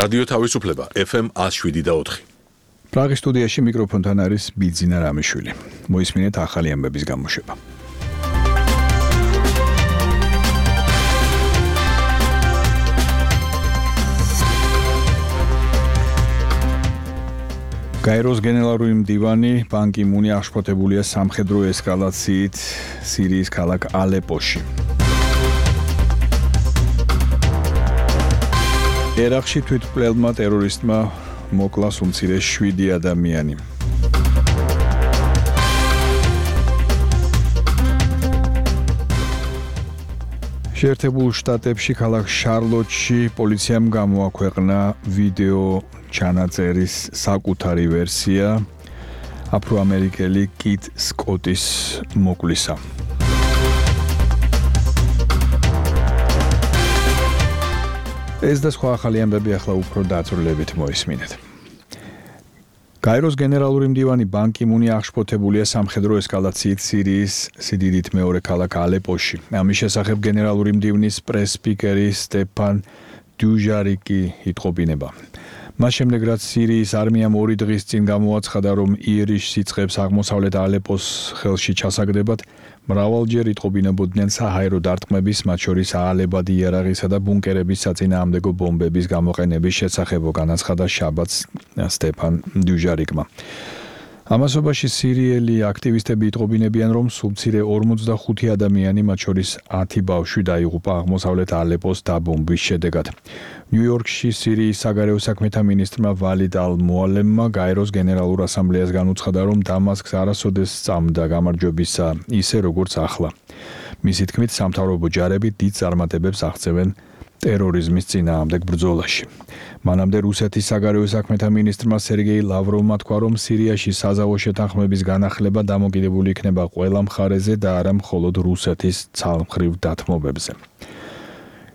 რადიო თავისუფლება FM 107.4. პრაღის სტუდიაში მიკროფონთან არის ბიძინა რამიშვილი. მოისმინეთ ახალი ამბების გამოშვება. გაეროს გენერალური მდივანი ბან კი მუნი აღშფოთებულია სამხედრო ესკალაციით სირიის ქალაქ ალეპოში. ერაყში თვითმკვლელმა ტერორისტმა მოკლა უმცირე 7 ადამიანი. შეერთებულ შტატებში ქალაქ შარლოტში პოლიციამ გამოაქვეყნა ვიდეო ჩანაწერის საკუთარი ვერსია აფრო-ამერიკელი კიტ სკოტის მოკლისა. ეს და სხვა ახალი ამბები ახლა უფრო დაწვრილებით მოისმინეთ. გაეროს გენერალური მდივანი ბან კი მუნი აღშფოთებულია სამხედრო ესკალაციით სირიის სიდიდით მეორე ქალაქ ალეპოში. ამის შესახებ გენერალური მდივნის პრეს-სპიკერი სტეფან დუჟარიკი იტყობინება. მას შემდეგ რაც სირიის არმიამ 2 დღის წინ გამოაცხადა, რომ იერიშს იწყებს აღმოსავლეთ ალეპოს ხელში ჩასაგდებად, მრავალჯერ იტყობინებოდნენ საჰაერო დარტყმების, მათ შორის აალებადი იარაღისა და ბუნკერების საწინააღმდეგო ბომბების გამოყენების შესახებ, განაცხადა შაბათს სტეფან დუჟარიკმა. ამასობაში სირიელი აქტივისტები იტყობინებიან, რომ სულმცირე 45 ადამიანი, მათ შორის 10 ბავშვი დაიღუპა აღმოსავლეთ ალეპოს დაბომბვის შედეგად. ნიუ-იორკში სირიის საგარეო საქმეთა მინისტრმა ვალიდ ალ-მუალემმა გაეროს გენერალურ ასამბლეას განუცხადა, რომ დამასკს არასოდეს სწამდა გამარჯვებისა ისე როგორც ახლა. მისი თქმით, სამთავრობო ჯარები დიდ წარმატებებს აღწევენ ტერორიზმის წინააღმდეგ ბრძოლაში. მანამდე რუსეთის საგარეო საქმეთა მინისტრმა სერგეი ლავროვმა თქვა, რომ სირიაში საზავო შეთანხმების განახლება დამოკიდებული იქნება ყველა მხარეზე და არა მხოლოდ რუსეთის ცალმხრივ დათმობებზე.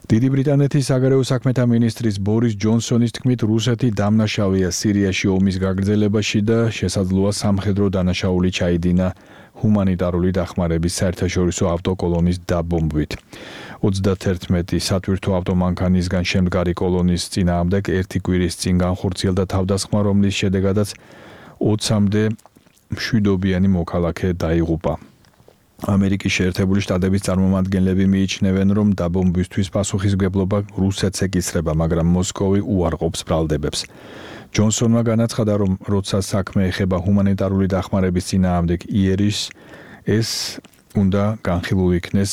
დიდი ბრიტანეთის საგარეო საქმეთა მინისტრის ბორის ჯონსონის თქმით, რუსეთი დამნაშავეა სირიაში ომის გაგრძელებაში და შესაძლოა სამხედრო დანაშაული ჩაიდინა ჰუმანიტარული დახმარების საერთაშორისო ავტოკოლონის დაბომბვით. 31 სათვირთო ავტომანქანისგან შემდგარი კოლონის წინააღმდეგ 1 კვირის წინ განხორციელდა თავდასხმა, რომლის შედეგადაც 20-მდე მშვიდობიანი მოქალაქე დაიღუპა. ამერიკის შეერთებული შტატების წარმომადგენლები მიიჩნევენ, რომ დაბომბვისთვის პასუხისმგებლობა რუსეთს ეკისრება, მაგრამ მოსკოვი უარყოფს ბრალდებებს. ჯონსონმა განაცხადა, რომ როცა საქმე ეხება ჰუმანიტარული დახმარების წინააღმდეგ იერიშს, ეს უნდა განხილულ იქნეს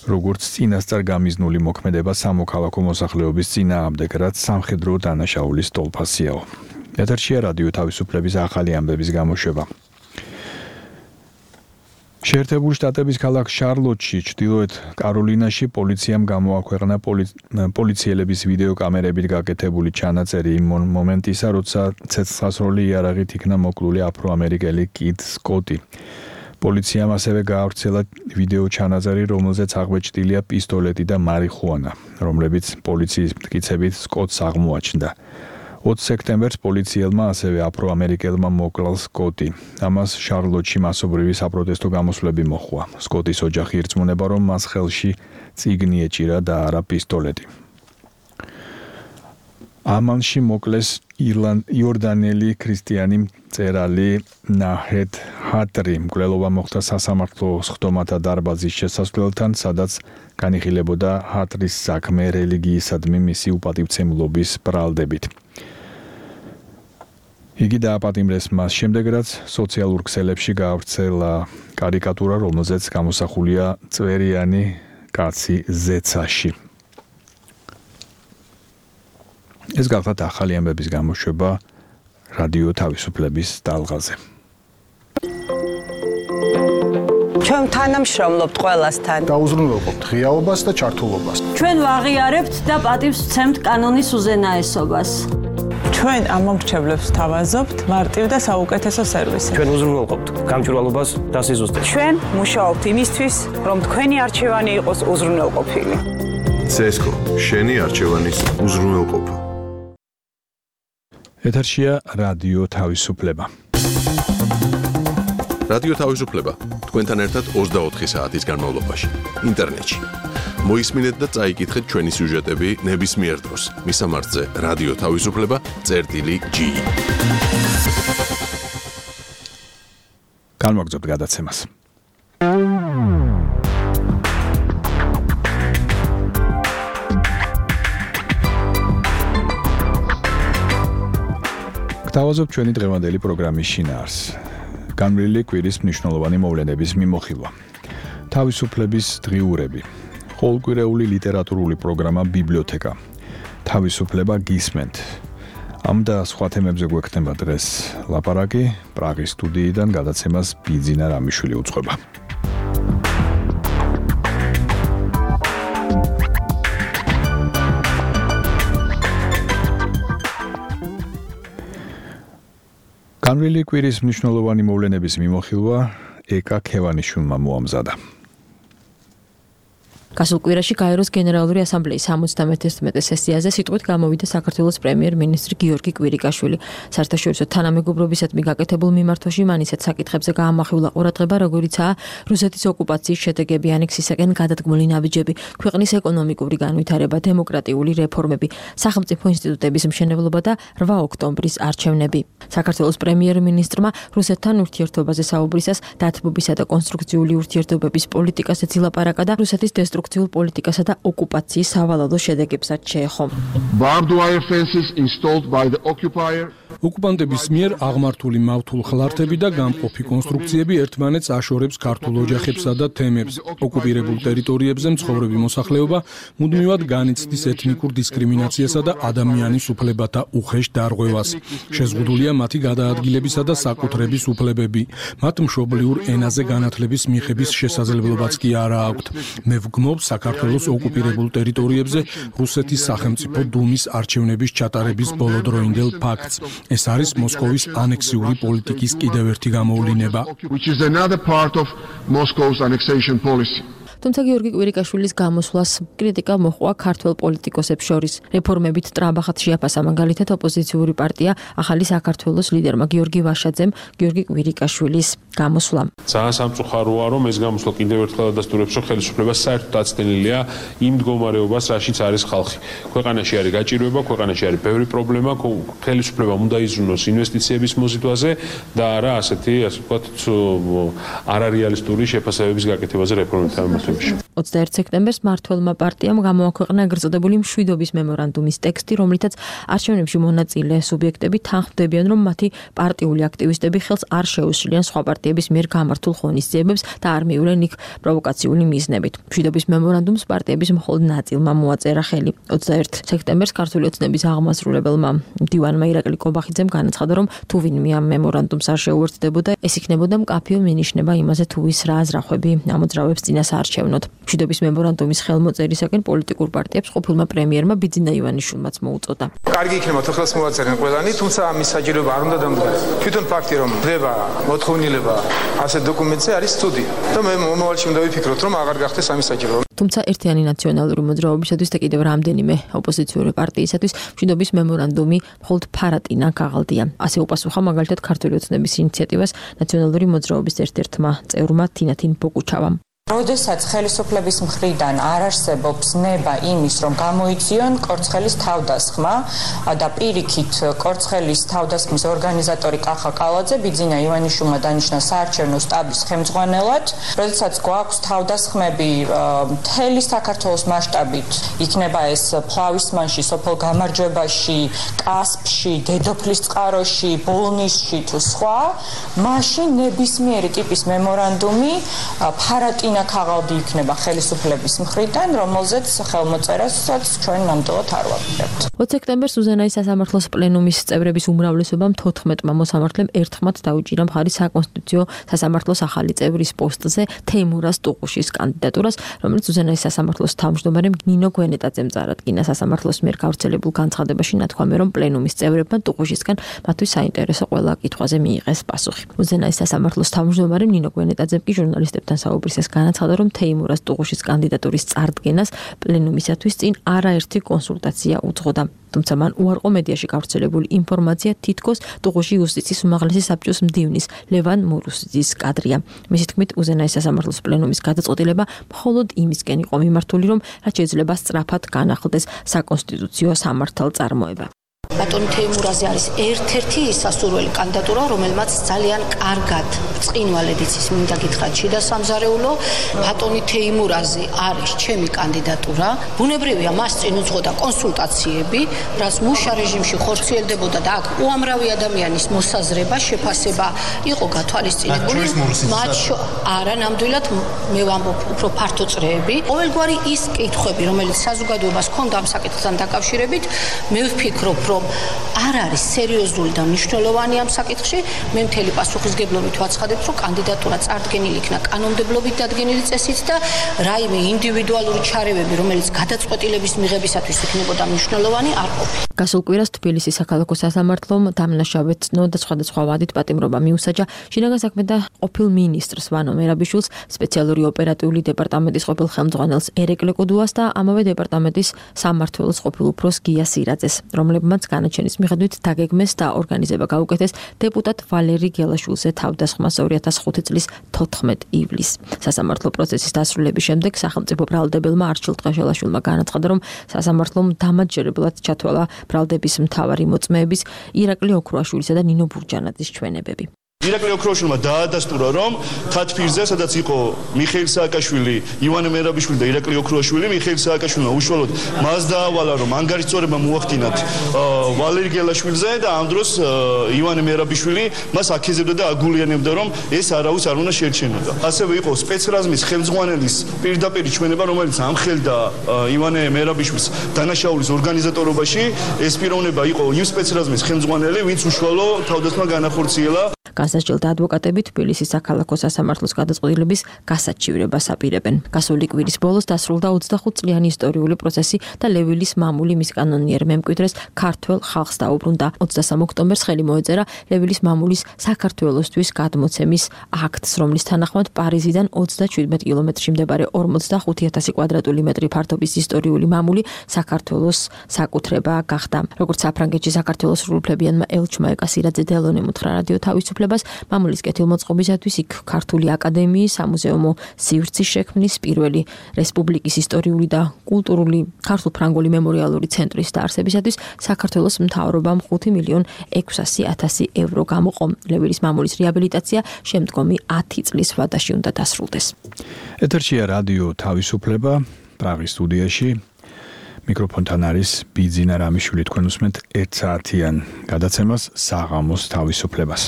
როგორც წინასწარ გამიზნული მოქმედება სამოქალაქო მოსახლეობის წინააღმდეგ, რაც სამხედრო დანაშაულის ტოლფასიაო. ეთერშია რადიო თავისუფლების ახალი ამბების გამოშვება. შეერთებული შტატების ქალაქ შარლოტში, ჩრდილოეთ კაროლინაში პოლიციამ გამოაქვეყნა პოლიციელების ვიდეო კამერებით გაკეთებული ჩანაწერი იმ მომენტისა, როცა ცეცხლსასროლი იარაღით იქნა მოკლული აფრო-ამერიკელი კიტ სკოტი. პოლიციამ ასევე გაავრცელა ვიდეო ჩანაწერი, რომელზეც აღბეჭდილია პისტოლეტი და მარიხუანა, რომლებიც პოლიციის მტკიცებით სკოტს აღმოაჩნდა. 20 სექტემბერს პოლიციელმა ასევე აფრო-ამერიკელმა მოკლა სკოტი. ამას შარლოტში მასობრივი საპროტესტო გამოსვლები მოჰყვა. სკოტის ოჯახი ირწმუნება, რომ მას ხელში წიგნი ეჭირა და არა პისტოლეტი. ამანში მოკლეს იორდანელი ქრისტიანი მწერალი ნაჰედ ჰატრი. მკვლელობა მოხდა სასამართლო სხდომათა დარბაზის შესასვლელთან, სადაც განიხილებოდა ჰატრის საქმე რელიგიისადმი მისი უპატივცემლობის ბრალდებით. იგი დააპატიმრეს მას შემდეგ, რაც სოციალურ ქსელებში გაავრცელა კარიკატურა, რომელზეც გამოსახულია წვერიანი კაცი ზეცაში. ეს გახლავთ ახალი ამბების გამოშვება რადიო თავისუფლების ტალღაზე. ჩვენ თანამშრომლობთ ყველასთან. დაუზრუნველყოფთ ღიაობას და ჩართულობას. ჩვენ ვაღიარებთ და პატივს ვცემთ კანონის უზენაესობას. ჩვენ ამომრჩევლებს თავაზობთ მარტივ და საუკეთესო სერვისი. ჩვენ უზრუნველყოფთ გამჭვირვალობას და სიზუსტეს. ჩვენ მუშაობთ იმისთვის, რომ თქვენი არჩევანი იყოს უზრუნველყოფილი. CESCO, შენი არჩევანის უზრუნველყოფა. ეთერშია რადიო თავისუფლება. რადიო თავისუფლება თქვენთან ერთად 24 საათის განმავლობაში ინტერნეტში. მოისმინეთ და წაიკითხეთ ჩვენი სიუჟეტები ნებისმიერ დროს. მისამართზე რადიო თავისუფლება.ge. განვაგრძობთ გადაცემას. გთავაზობთ ჩვენი დღევანდელი პროგრამის შინაარს. განვლილი კვირის მნიშვნელოვანი მოვლენების მიმოხილვა. თავისუფლების დღიურები. ყოველკვირეული ლიტერატურული პროგრამა ბიბლიოთეკა. თავისუფლება გისმენთ. ამ და სხვა თემებზე გვექნება დღეს ლაპარაკი. პრაღის სტუდიიდან გადაცემას ბიძინა რამიშვილი უწყობა. განვლილი კვირის მნიშვნელოვანი მოვლენების მიმოხილვა ეკა ქევანიშვილმა მოამზადა. გასულ კვირაში გაეროს გენერალური ასამბლეის 71 სესიაზე სიტყვით გამოვიდა საქართველოს პრემიერ-მინისტრი გიორგი კვირიკაშვილი. საერთაშორისო თანამეგობრობისადმი გაკეთებულ მიმართვაში მან ისეთ საკითხებზე გაამახვილა ყურადღება, როგორიცაა რუსეთის ოკუპაციის შედეგები, ანექსისაკენ გადადგმული ნაბიჯები, ქვეყნის ეკონომიკური განვითარება, დემოკრატიული რეფორმები, სახელმწიფო ინსტიტუტების მშენებლობა და 8 ოქტომბრის არჩევნები. საქართველოს პრემიერ-მინისტრმა რუსეთთან ურთიერთობაზე საუბრისას დათბობისა და კონსტრუქციული ურთიერთობების პოლიტიკასაც ილაპარაკა და რუსეთის დესტრუქციულ პოლიტიკასა და ოკუპაციის სავალალო შედეგებსაც შეეხო. ოკუპანტების მიერ აღმართული მავთულ ხლართები და გამყოფი კონსტრუქციები ერთმანეთს აშორებს ქართულ ოჯახებსა და თემებს. ოკუპირებულ ტერიტორიებზე მცხოვრები მოსახლეობა მუდმივად განიცდის ეთნიკურ დისკრიმინაციასა და ადამიანის უფლებათა უხეშ დარღვევას. შეზღუდულია მათი გადაადგილებისა და საკუთრების უფლებები. მათ მშობლიურ ენაზე განათლების მიღების შესაძლებლობაც კი არა აქვთ. მე ვგმობ საქართველოს ოკუპირებულ ტერიტორიებზე რუსეთის სახელმწიფო დუმის არჩევნების ჩატარების ბოლოდროინდელ ფაქტს. ეს არის მოსკოვის ანექსიური პოლიტიკის კიდევ ერთი გამოვლინება. თუმცა გიორგი კვირიკაშვილის გამოსვლას კრიტიკა მოჰყვა ქართველ პოლიტიკოსებს შორის. რეფორმებით ტრაბახად შეაფასა მაგალითად ოპოზიციური პარტია ახალი საქართველოს ლიდერმა გიორგი ვაშაძემ გიორგი კვირიკაშვილის გამოსვლა. ძალიან სამწუხაროა, რომ ეს გამოსვლა კიდევ ერთხელ ადასტურებს, რომ ხელისუფლება საერთოდ აცდენილია იმ მდგომარეობას, რაშიც არის ხალხი. ქვეყანაში არის გაჭირვება, ქვეყანაში არის ბევრი პრობლემა, ხელისუფლებამ უნდა იზრუნოს ინვესტიციების მოზიდვაზე და არა ასეთი, ასე ვთქვათ, არარეალისტური შეფასებების გაკეთებაზე რეფორმებთან. 21 სექტემბერს მმართველმა პარტიამ გამოაქვეყნა ეგრეთ წოდებული მშვიდობის მემორანდუმის ტექსტი, რომლითაც არჩევნებში მონაწილე სუბიექტები თანხმდებიან, რომ მათი პარტიული აქტივისტები ხელს არ შეუსვლიან სხვა პარტიების მიერ გამართულ ღონისძიებებს და არ მიუვლენ იქ პროვოკაციული მიზნებით. მშვიდობის მემორანდუმს პარტიების მხოლოდ ნაწილმა მოაწერა ხელი. 21 სექტემბერს ქართული ოცნების აღმასრულებელმა მდივანმა ირაკლი კობახიძემ განაცხადა, რომ თუ ვინმე ამ მემორანდუმს არ შეუერთდებოდა, ეს იქნებოდა მკაფიო მინიშნება იმაზე, თუ ვის რა აზრახვები ამოძრავებს წინას არჩევნად. მშვიდობის მემორანდუმის ხელმოწერისაკენ პოლიტიკურ პარტიებს ყოფილმა პრემიერმა ბიძინა ივანიშვილმაც მოუწოდა. კარგი იქნება თუ ხელს მოაწერენ ყველანი, თუმცა ამის საჭიროება არ უნდა დამდგარდეს. თვითონ ფაქტი რომ ხდება მოთხოვნილება ასეთ დოკუმენტზე არის ცუდი. და მე მომავალში უნდა ვიფიქროთ, რომ აღარ გახდეს ამის საჭიროება. თუმცა ერთიანი ნაციონალური მოძრაობისათვის და კიდევ რამდენიმე ოპოზიციური პარტიისათვის მშვიდობის მემორანდუმი მხოლოდ ფარატინა გაღალდია. ასე უპასუხა მაგალითად ქართული ოცნების ინიციატივას ნაციონალური მოძრაობის ერთ-ერთმა წევრმა თინათინ ბოკუჩავამ. როდესაც ხელისუფლების მხრიდან არ არსებობს ნება იმის, რომ გამოიწვიონ კორცხელის თავდასხმა და პირიქით კორცხელის თავდასხმის ორგანიზატორი კახა კალაძე ბიძინა ივანიშვილმა დანიშნა საარჩევნო შტაბის ხელმძღვანელად, როდესაც გვაქვს თავდასხმები მთელი საქართველოს მასშტაბით, იქნება ეს ფლავისმანში, სოფელ გამარჯვებაში, კასპში, დედოფლის წყაროში, ბოლნისში თუ სხვა, მაშინ ნებისმიერი ტიპის მემორანდუმი ფარატინა ქაღალდი იქნება ხელისუფლების მხრიდან, რომელზეც ხელმოწერასაც ჩვენ ნამდვილად არ ვაპირებთ. 20 სექტემბერს უზენაის სასამართლოს პლენუმის წევრების უმრავლესობამ 14 მოსამართლემ ერთხმად დაუჭირა მხარი საკონსტიტუციო სასამართლოს ახალი წევრის პოსტზე თეიმურას ტუყუშის კანდიდატურას, რომელიც უზენაის სასამართლოს თავმჯდომარემ ნინო გვენეტაძემ წარადგინა. სასამართლოს მიერ გავრცელებულ განცხადებაში ნათქვამია, რომ პლენუმის წევრებმა ტუყუშისგან მათთვის საინტერესო ყველა კითხვაზე მიიღეს პასუხი. უზენაის სასამართლოს თავმჯდომარემ ნინო გვენეტაძემ კი ჟურნალისტებთან საუბრისას განაცხადა, რომ თეიმურაზ ტუღუშის კანდიდატურის წარდგენას პლენუმისათვის წინ არაერთი კონსულტაცია უძღოდა. თუმცა მან უარყო მედიაში გავრცელებული ინფორმაცია, თითქოს ტუღუში იუსტიციის უმაღლესი საბჭოს მდივნის ლევან მურუსიძის კადრია. მისი თქმით, უზენაეს სასამართლოს პლენუმის გადაწყვეტილება მხოლოდ იმისკენ იყო მიმართული, რომ რაც შეიძლება სწრაფად განახლდეს საკონსტიტუციო სამართალწარმოება. ბატონი თეიმურაზი არის ერთ-ერთი სასურველი კანდიდატურა, რომელმაც ძალიან კარგად წინვალედიც ის მინდა გითხრათ შიდა სამზარეულო. ბატონი თეიმურაზი არის ჩემი კანდიდატურა. ბუნებრივია, მას წინ უძღოდა კონსულტაციები, რაც მუშა რეჟიმში ხორციელდებოდა და აქ უამრავი ადამიანის მოსაზრება, შეფასება იყო გათვალისწინებული. არა, ნამდვილად მე ვამბობ უფრო ფართო წრეები. ყოველგვარი ის კითხვები, რომელიც საზოგადოებას ჰქონდა ამ საკითხთან დაკავშირებით, მე ვფიქრობ, რომ არ არის სერიოზული და მნიშვნელოვანი ამ საკითხში. მე მთელი პასუხისგებლობით ვაცხადებ, რომ კანდიდატურა წარდგენილი იქნა კანონმდებლობით დადგენილი წესით და რაიმე ინდივიდუალური ჩარევები, რომელიც გადაწყვეტილების მიღებისათვის იქნებოდა მნიშვნელოვანი, არ ყოფილა. გასულ კვირას თბილისის საქალაქო სასამართლომ დამნაშავედ ცნო და სხვადასხვა ვადით პატიმრობა მიუსაჯა შინაგან საქმეთა ყოფილ მინისტრს ვანო მერაბიშვილს, სპეციალური ოპერატიული დეპარტამენტის ყოფილ ხელმძღვანელს ერეკლ კუდუას და ამავე დეპარტამენტის სამმართველოს ყოფილ უფროს გია სირაძეს, რომლებმაც განაჩენის მიხედვით დაგეგმეს და ორგანიზება გაუკეთეს დეპუტატ ვალერი გელაშვილზე თავდასხმას 2005 წლის 14 ივლისს. სასამართლო პროცესის დასრულების შემდეგ სახელმწიფო ბრალდებელმა არჩილ ტყეშელაშვილმა განაცხადა, რომ სასამართლომ დამაჯერებლად ჩათვალა ბრალდების მთავარი მოწმეების ირაკლი ოქროაშვილისა და ნინო ბურჯანაძის ჩვენებები. ირაკლი ოქროაშვილმა დაადასტურა, რომ თათბირზე, სადაც იყო მიხეილ სააკაშვილი, ივანე მერაბიშვილი და ირაკლი ოქროაშვილი, მიხეილ სააკაშვილმა უშუალოდ მას დაავალა, რომ ანგარიშწორება მოახდინათ ვალერი გელაშვილზე და ამ დროს ივანე მერაბიშვილი მას აქეზებდა და აგულიანებდა, რომ ეს არავის არ უნდა შეერჩენოდა. ასევე იყო სპეცრაზმის ხელმძღვანელის პირდაპირ ჩვენება, რომელიც ამხელდა ივანე მერაბიშვილს დანაშაულის ორგანიზატორობაში. ეს პიროვნება იყო იმ სპეცრაზმის ხელმძღვანელი, ვინც უშუალო თავდასხმა განახორციელა. განსაჯელდა ადვოკატები თბილისის საქალაქო სასამართლოს გადაწყვეტილების გასაჩივრებას აპირებენ. გასული კვირის ბოლოს დასრულდა 25 წლიანი ისტორიული პროცესი და ლევილის მამული მის კანონიერ მემკვიდრეს ქართველ ხალხს დაუბრუნდა. 23 ოქტომბერს ხელი მოეწერა ლევილის მამულის საქართველოსთვის გადმოცემის აქტს, რომლის თანახმად პარიზიდან 27 კილომეტრში მდებარე 45000 კვადრატული მეტრი ფართობის ისტორიული მამული საქართველოს საკუთრება გახდა. როგორც საფრანგეთში საქართველოს სრულუფლებიანმა ელჩმა ეკასირაძე დელონემ უთხრა რადიო თავისუფლებას, მამულის კეთილმოწყობისათვის იქ ქართული აკადემიის, სამუზეუმო სივრცის შექმნის, პირველი რესპუბლიკის ისტორიული და კულტურული ქართულ-ფრანგული მემორიალური ცენტრის დაარსებისათვის საქართველოს მთავრობამ 5.600.000 ევრო გამოყო. ლევილის მამულის რეაბილიტაცია შემდგომი 10 წლის ვადაში უნდა დასრულდეს. ეთერშია რადიო თავისუფლება, პრაღის სტუდიაში. მიკროფონთან არის ბიძინა რამიშვილი, თქვენ უსმენთ 1 საათიან გადაცემას საღამოს თავისუფლებას.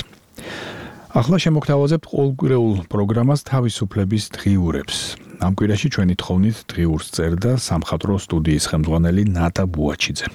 ახლა შემოგთავაზებთ ყოველკვირეულ პროგრამას თავისუფლების დღიურებს. ამ კვირაში ჩვენი თხოვნით დღიურს წერდა სამხატვრო სტუდიის ხელმძღვანელი ნატა ბუაჩიძე.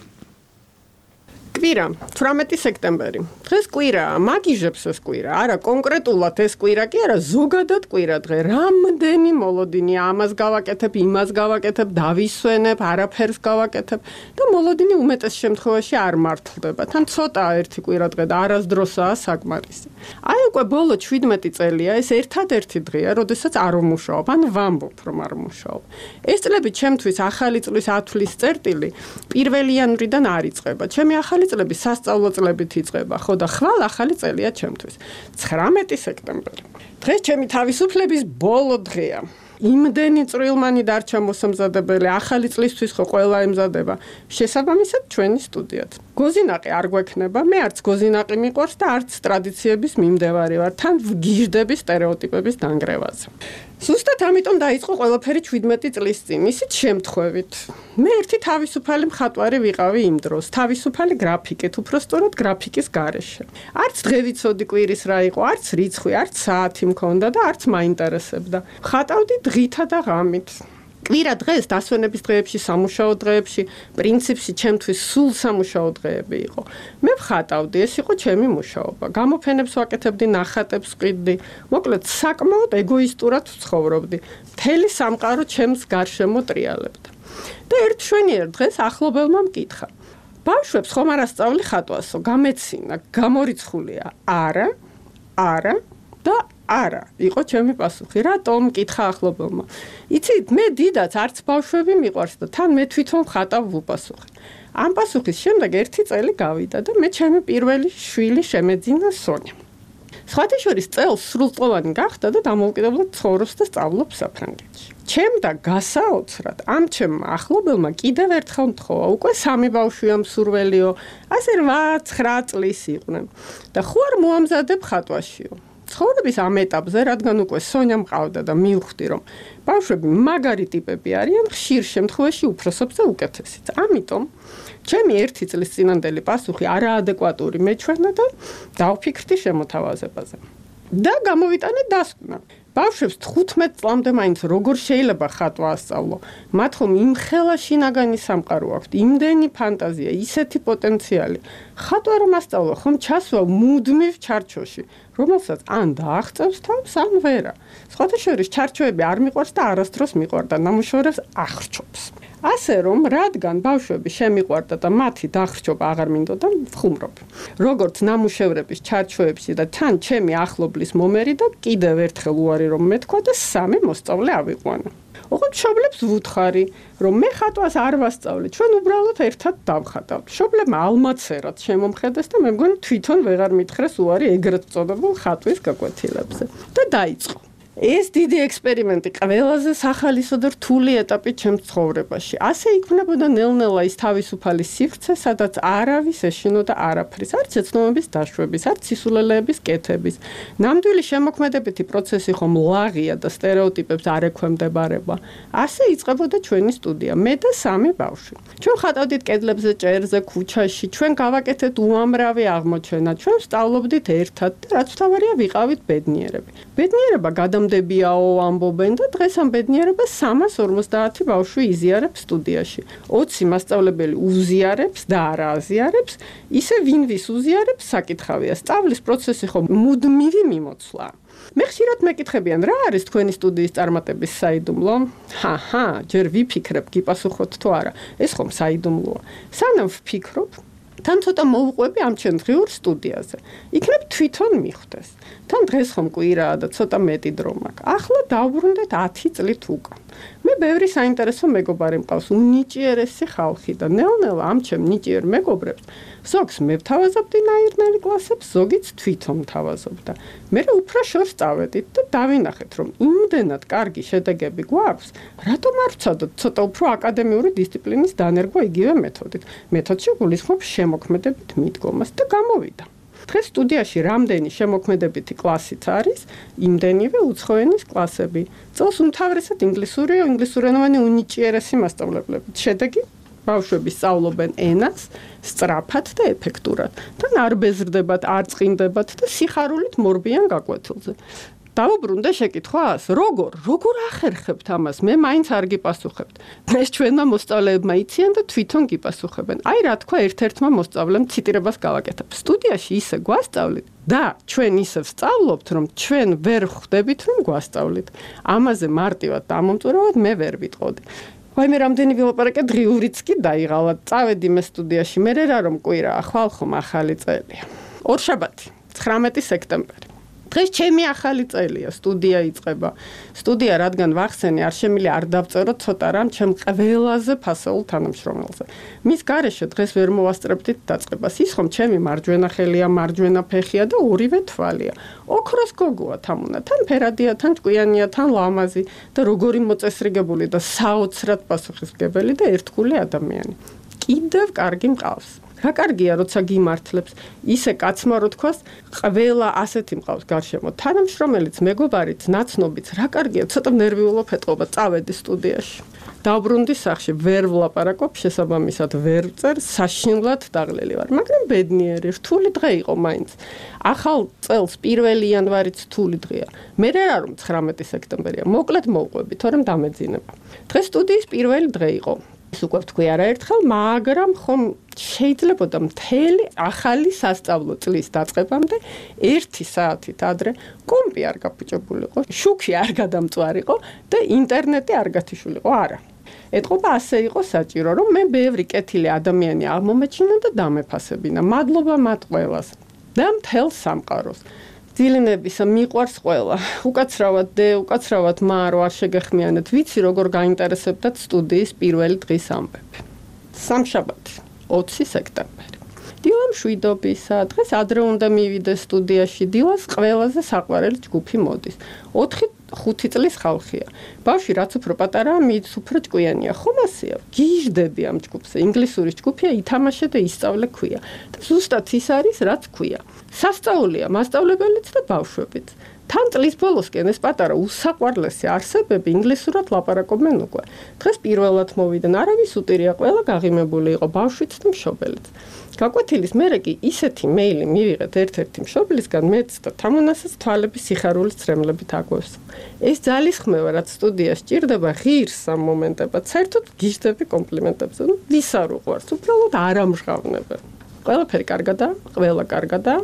კვირა 18 სექტემბერი. დღეს კვირაა, მაგიჟებს ეს კვირა. არა კონკრეტულად ეს კვირა კი არა, ზოგადად კვირა დღე. რამდენი მოლოდინია, ამას გავაკეთებ, იმას გავაკეთებ, დავისვენებ, არაფერს გავაკეთებ და მოლოდინი უმეტეს შემთხვევაში არ მართლდება. თან ცოტაა ერთი კვირა დღე და არასდროსაა საკმარისი. აი უკვე ბოლო 17 წელია ეს ერთადერთი დღეა, როდესაც არ ვმუშაობ, ან ვამბობ, რომ არ ვმუშაობ. ეს წლები ჩემთვის ახალი წლის ათვლის წერტილი 1 იანვრიდან არ იწყება. ჩემი ახალი წლები სასწავლო წლებით იწყება, ხო და ხვალ ახალი წელია ჩემთვის. 19 სექტემბერი. დღეს ჩემი თავისუფლების ბოლო დღეა. იმდენი წვრილმანი დარჩა მოსამზადებელი, ახალი წლისთვის ხო ყველა ემზადება. შესაბამისად ჩვენი სტუდიაც. გოზინაყი არ გვექნება, მე არც გოზინაყი მიყვარს და არც ტრადიციების მიმდევარი ვარ, თან ვგიჟდები სტერეოტიპების დანგრევაზე. ზუსტად ამიტომ დაიწყო ყველაფერი 17 წლის წინ, ისიც შემთხვევით. მე ერთი თავისუფალი მხატვარი ვიყავი იმ დროს, თავისუფალი გრაფიკით, უფრო სწორად გრაფიკის გარეშე. არც დღე ვიცოდი კვირის რა იყო, არც რიცხვი, არც საათი მქონდა და არც მაინტერესებდა. ხატავდი დღითა და ღამით. კვირა დღეს დასვენების დღეებში, სამუშაო დღეებში, პრინციპში ჩემთვის სულ სამუშაო დღეები იყო. მე ვხატავდი, ეს იყო ჩემი მუშაობა. გამოფენებს ვაკეთებდი, ნახატებს ვყიდდი. მოკლედ, საკმაოდ ეგოისტურად ვცხოვრობდი. მთელი სამყარო ჩემს გარშემო ტრიალებდა. და ერთ შვენიერ დღეს ახლობელმა მკითხა: ბავშვებს ხომ არ ასწავლი ხატვასო? გამეცინა, გამორიცხულია? არა და არა, იყო ჩემი პასუხი. რატომ? კითხა ახლობელმა. იცით, მე დიდაც არც ბავშვები მიყვარს და თან მე თვითონ ხატავ ვუპასუხე. ამ პასუხის შემდეგ 1 წელი გავიდა და მე ჩემი პირველი შვილი შემეძინა სონია. სხვათა შორის წელს სრულწლოვანი გახდა და დამოუკიდებლად ცხოვრობს და სწავლობს საფრანგეთში. ჩემ და გასაოცრად ამ ჩემ ახლობელმა კიდევ ერთხელ მთხოვა, უკვე 3 ბავშვია მსურველიო, ასე 8-9 წლის იყვნენ და ხო არ მოამზადებ ხატვაშიო. ცხოვრების ამ ეტაპზე, რადგან უკვე სონია მყავდა და მივხვდი, რომ ბავშვები მაგარი ტიპები არიან, ხშირ შემთხვევაში უფროსობს და უკეთესიც. ამიტომ ჩემი 1 წლის წინანდელი პასუხი არაადეკვატური მეჩვენა და დავფიქრდი შემოთავაზებაზე. და გამოვიტანე დასკვნა. ბავშვებს 15 წლამდე მაინც როგორ შეიძლება ხატვა ასწავლო? მათ ხომ იმხელა შინაგანი სამყარო აქვთ, იმდენი ფანტაზია, ისეთი პოტენციალი. ხატვა რომ ასწავლო, ხომ ჩასვა მუდმივ ჩარჩოში, რომელსაც ან დააღწევს თავს, ან ვერა. სხვათა შორის ჩარჩოები არ მიყვარს და არასდროს მიყვარდა, ნამუშევრებს ახრჩობს. ასე რომ, რადგან ბავშვები შემიყვარდა და მათი დახრჩობა აღარ მინდოდა, ვხუმრობ. როგორც ნამუშევრების ჩარჩოებში და თან ჩემი ახლობლის მომერი და კიდევ ერთხელ უარი რომ მეთქვა და 3 მოსწავლე ავიყვანა. ოღონდ მშობლებს ვუთხარი, რომ მე ხატვას არ ვასწავლე, ჩვენ უბრალოდ ერთად დავხატავთ. მშობლებმა ალმაცერად შემომხედეს და მე მგონი თვითონ ვეღარ მითხრეს უარი ეგრეთ წოდებულ ხატვის გაკვეთილებზე. და დაიწყო. ეს დიდი ექსპერიმენტი ყველაზე სახალისო და რთული ეტაპი ჩემს ცხოვრებაში. ასე იქმნებოდა ნელ-ნელა ის თავისუფალი სივრცე, სადაც არავის ეშინოდა არაფრის, არც ეცნობების დაშვების, არც სისულელეების კეთების. ნამდვილი შემოქმედებითი პროცესი ხომ ლაღია და სტერეოტიპებს არ ექვემდებარება. ასე იწყებოდა ჩვენი სტუდია, მე და 3 ბავშვი. ჩვენ ხატავდით კედლებზე, ჭერზე, ქუჩაში, ჩვენ გავაკეთეთ უამრავი აღმოჩენა, ჩვენ ვსწავლობდით ერთად და რაც მთავარია ვიყავით ბედნიერები. ბედნიერება დებიაო ამბობენ და დღეს ამ ბედნიერებას 350 ბავშვი იზიარებს სტუდიაში. 20 მასწავლებელი უზიარებს და არა აზიარებს, ისე ვინ ვის უზიარებს საკითხავია. სწავლის პროცესი ხომ მუდმივი მიმოცვლა. მე ხშირად მეკითხებიან, რა არის თქვენი სტუდიის წარმატების საიდუმლო? ჰაჰა, ჯერ ვიფიქრებ, გიპასუხოთ თუ არა. ეს ხომ საიდუმლოა. სანამ ვფიქრობ, თან ცოტა მოვუყვები ამ ჩემ დღიურ სტუდიაზე. იქნებ თვითონ მიხვდეს. თან დღეს ხომ კვირაა და ცოტა მეტი დრო მაქვს. ახლა დავბრუნდეთ 10 წლით უკან. მე ბევრი საინტერესო მეგობარი მყავს, უნიჭიერესი ხალხი და ნელ-ნელა ამ ჩემ ნიჭიერ მეგობრებს ზოგს მე ვთავაზობდი ნაირნარი კლასებს, ზოგიც თვითონ თავაზობდა. მე უფრო შორს წავედით და დავინახეთ, რომ იმდენად კარგი შედეგები გვაქვს, რატომ არ ვცადოთ ცოტა უფრო აკადემიური დისციპლინის დანერგვა იგივე მეთოდით. მეთოდში გულისხმობ შემოქმედებით მიდგომას და გამოვიდა. დღეს სტუდიაში რამდენი შემოქმედებითი კლასიც არის, იმდენივე უცხოენის კლასები. წელს უმთავრესად ინგლისურენოვანი უნიჭიერესი მასწავლებლები. შედეგი ბავშვები სწავლობენ ენას სწრაფად და ეფექტურად. თან არ ბეზრდებათ, არ წყინდებათ და სიხარულით მორბიან გაკვეთილზე. დავუბრუნდე შეკითხვას, როგორ ახერხებთ ამას? მე მაინც არ გიპასუხებთ. ეს ჩვენმა მოსწავლეებმა იციან და თვითონ გიპასუხებენ. აი რა თქვა ერთ-ერთმა მოსწავლემ ციტირებას გავაკეთებ. სტუდიაში ისე გვასწავლით და ჩვენ ისე ვსწავლობთ, რომ ჩვენ ვერ ხვდებით, რომ გვასწავლით. ამაზე მარტივად დამომწურავად მე ვერ ვიტყოდი. ვაი მე რამდენი ვილაპარაკე, დღიურიც კი დაიღალა. წავედი მე სტუდიაში, მე რა რომ კვირაა, ხვალ ხომ ახალი წელია. ორშაბათი, 19 სექტემბერი. დღეს ჩემი ახალი წელია, სტუდია იწყება. სტუდია რადგან ვახსენე, არ შემიძლია არ დავწერო ცოტა რამ ჩემ ყველაზე ფასეულ თანამშრომელზე. მის გარეშე დღეს ვერ მოვასწრებდით დაწყებას. ის ხომ ჩემი მარჯვენა ხელია, მარჯვენა ფეხია და ორივე თვალია. ოქროს გოგოა თამუნა, თან ფერადია, თან ჭკვიანია, თან ლამაზი და როგორი მოწესრიგებული და საოცრად პასუხისმგებელი და ერთგული ადამიანი. კიდევ კარგი მყავს. რა კარგია, როცა გიმართლებს, ისე კაცმა რო თქვას, ყველა ასეთი მყავს გარშემო. თანამშრომელიც, მეგობარიც, ნაცნობიც, რა კარგია, ცოტა ნერვიულობ ეტყობა, წავედი სტუდიაში. დავბრუნდი სახლში, ვერ ვლაპარაკობ, შესაბამისად ვერ ვწერ, საშინლად დაღლილი ვარ, მაგრამ ბედნიერი, რთული დღე იყო მაინც. ახალ წელს 1 იანვარიც რთული დღეა. მე რა რომ 19 სექტემბერია, მოკლედ მოვყვები, თორემ დამეძინება. დღეს სტუდიის პირველი დღე იყო. ის უკვე ვთქვი არაერთხელ, მაგრამ ხომ შეიძლებოდა მთელი ახალი სასწავლო წლის დაწყებამდე 1 საათით ადრე კომპი არ გაფუჭებულიყო, შუქი არ გადამწვარიყო და ინტერნეტი არ გათიშულიყო, არა. ეთყობა ასე იყო საჭირო, რომ მე ბევრი კეთილი ადამიანი აღმომეჩინა და დამეფასებინა. მადლობა მათ ყველას და მთელ სამყაროს. დილინებისა მიყვარს ყველა. უკაცრავად დე, უკაცრავად მარო არ შეგეხმიანეთ. ვიცი როგორ გაინტერესებდათ სტუდიის პირველი დღის ამბები. სამშაბათი, 20 სექტემბერი. დილამ შვიდობისა, დღეს ადრე უნდა მივიდეს სტუდიაში. დილას ყველაზე საყვარელი ჯგუფი მოდის. 4-5 წლის ხალხია. ბავშვი რაც უფრო პატარაა, მით უფრო ჭკვიანია. ხომ ასეა? გიჟდები ამ ჯგუფზე. ინგლისური ჯგუფია, ითამაშე და ისწავლე ქვია. და ზუსტად ის არის, რაც ქვია. სასწაულია მასწავლებელიც და ბავშვებიც. თან წლის ბოლოსკენ ეს პატარა უსაყვარლესი არსებები ინგლისურად ლაპარაკობენ უკვე. დღეს პირველად მოვიდნენ, არავის უტირია, ყველა გაღიმებული იყო, ბავშვიც და მშობელიც. გაკვეთილის მერე კი ისეთი მეილი მივიღეთ ერთ-ერთი მშობლისგან, მეც და თამუნასაც თვალების სიხარულის წრემლებით აგვევს. ეს ძალისხმევა, რაც სტუდიაში ჭირდება, ღირს ამ მომენტებად, საერთოდ გიჟდები კომპლიმენტებზე. ვის არ უყვარს, უბრალოდ არ ამჟღავნებენ. ყველაფერი კარგადაა, ყველა კარგადაა.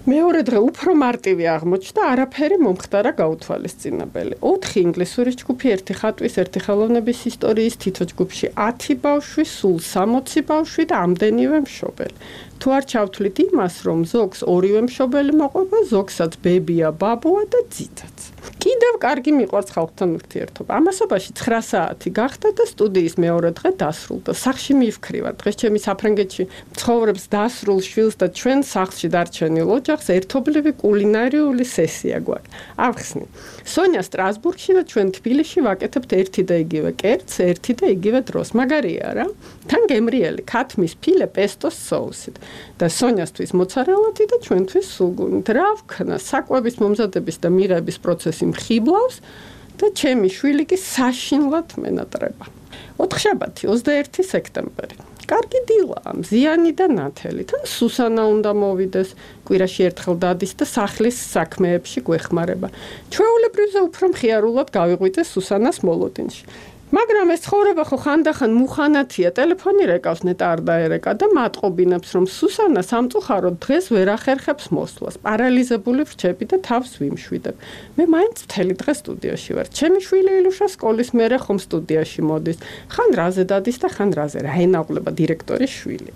მეორე დღე უფრო მარტივი აღმოჩნდა, არაფერი მომხდარა გაუთვალისწინებელი. 4 ინგლისური ჯგუფი, 1 ხატვის, 1 ხელოვნების ისტორიის, თითო ჯგუფში 10 ბავშვი, სულ 60 ბავშვი და ამდენივე მშობელი. თუ არ ჩავთვლით იმას, რომ ზოგს ორივე მშობელი მოყვება, ზოგსაც ბებია, ბაბუა და ძითაც. კიდევ კარგი მიყვარს ხალხთან ურთიერთობა. ამასობაში 9 საათი გახდა და სტუდიის მეორე დღე დასრულდა. სახლში მივქრივარ. დღეს ჩემი საფრანგეთში ცხოვრობს დასრულ შვილს და ჩვენ სახლში დარჩენილ ოჯახს ერთობლივი კულინარიული სესია გვაქვს. ავხსნი. სონია სტრასბურგში და ჩვენ თბილისში ვაკეთებთ ერთი და იგივე კერძს, ერთი და იგივე დროს. მაგარია რა? თან გემრიელი ქათმის ფილე პესტოს соусით. და სონიასთვის მოცარელადი და ჩვენთვის სულგუნით. რა ვქნა, საკვების მომზადების და მიღების პროცესი მხიბლავს და ჩემი შვილი კი საშინლად მენატრება. 4 შაბათი, 21 სექტემბერი. კარგი დილაა, მზიანი და ნათელი. თან სუსანა უნდა მოვიდეს, კვირაში ერთხელ დადის და სახლის საქმეებში გვეხმარება. ჩვეულებრივზე უფრო მხიარულად გავიღვიძე სუსანას მოლოდინში. მაგრამ ეს ცხოვრება ხო ხანდახან მუხანათია, ტელეფონი რეკავს ნეტა არ დაერეკა და მატყობინებს, რომ სუსანა სამწუხაროდ დღეს ვერ ახერხებს მოსვლას. პარალიზებული ვრჩები და თავს ვიმშვიდებ. მე მაინც მთელი დღე სტუდიაში ვარ. ჩემი შვილი ილუშა სკოლის მერე ხომ სტუდიაში მოდის. ხან რაზე დადის და ხან რაზე, რა ენაღლება დირექტორის შვილი.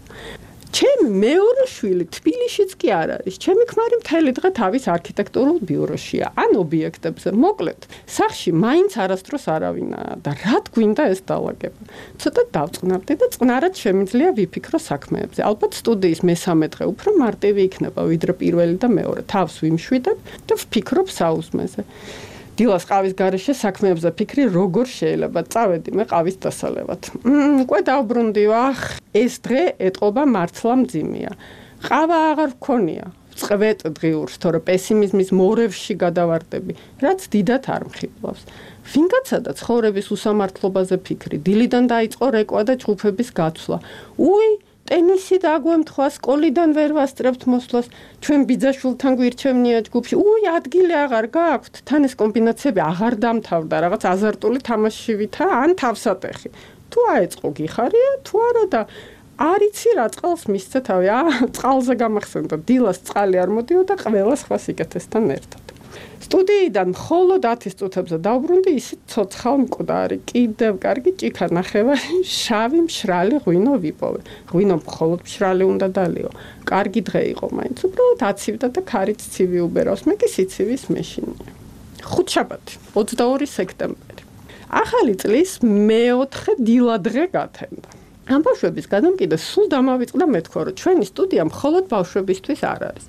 ჩემი მეორე შვილი თბილისშიც კი არ არის. ჩემი ქმარი მთელი დღე თავის არქიტექტურულ ბიუროშია, ან ობიექტებზე. მოკლედ, სახლში მაინც არასდროს არავინაა და რად გვინდა ეს დაალაგება. ცოტა დავწყნარდი და წყნარად შემიძლია ვიფიქრო საქმეებზე. ალბათ სტუდიის მესამე დღე უფრო მარტივი იქნება, ვიდრე პირველი და მეორე. თავს ვიმშვიდებ და ვფიქრობ საუზმეზე. დილას ყავის გარეშე საქმეებზე ფიქრი როგორ შეიძლება წავედი მე ყავის დასალევად. უკვე დავბრუნდი, ახ, ეს დღე ეტყობა მართლა მძიმეა. ყავა აღარ ვქონია. წვეთ დღიურს, თორე პესიმიზმის მორევში გადავარდები, რაც დიდად არ მხიბლავს. ვინგაცადა ცხოვრების უსამართლობაზე ფიქრი, დილიდან დაიწყო რეკვა და ჯგუფების გაცვლა. ტენისი დაგვემთხვა, სკოლიდან ვერ ვასწრებთ მოსვლას, ჩვენ ბიძაშვილთან გვირჩევნია ჯგუფში. ადგილი აღარ გააქვთ, თან ეს კომბინაციები აღარ დამთავრდა, რაღაც აზარტული თამაშივითა, ან თავსატეხი. თუ აეწყო გიხარია, თუ არა და არ იცი რა წყალს მისცე თავი. წყალზე გამახსენდა, დილას წყალი არ მოდიოდა ყველა სხვა სიკეთესთან ერთად. სტუდიიდან მხოლოდ 10 წუთებზე დავბრუნდი, ისიც ცოცხალ მკვდარი, კიდევ კარგი ჭიქა ნახევარი, შავი მშრალი ღვინო ვიპოვე. ღვინო მხოლოდ მშრალი უნდა დალიო. კარგი დღე იყო მაინც, უბრალოდ აცივდა და ქარიც ცივი უბერავს, მე კი სიცივის მეშინია. 5 შაბათი, 22 სექტემბერი. ახალი წლის მეოთხე დილადღე გათენდა. ამ ბავშვების გადამკიდე სულ დამავიწყდა მეთქვა, რომ ჩვენი სტუდია მხოლოდ ბავშვებისთვის არ არის.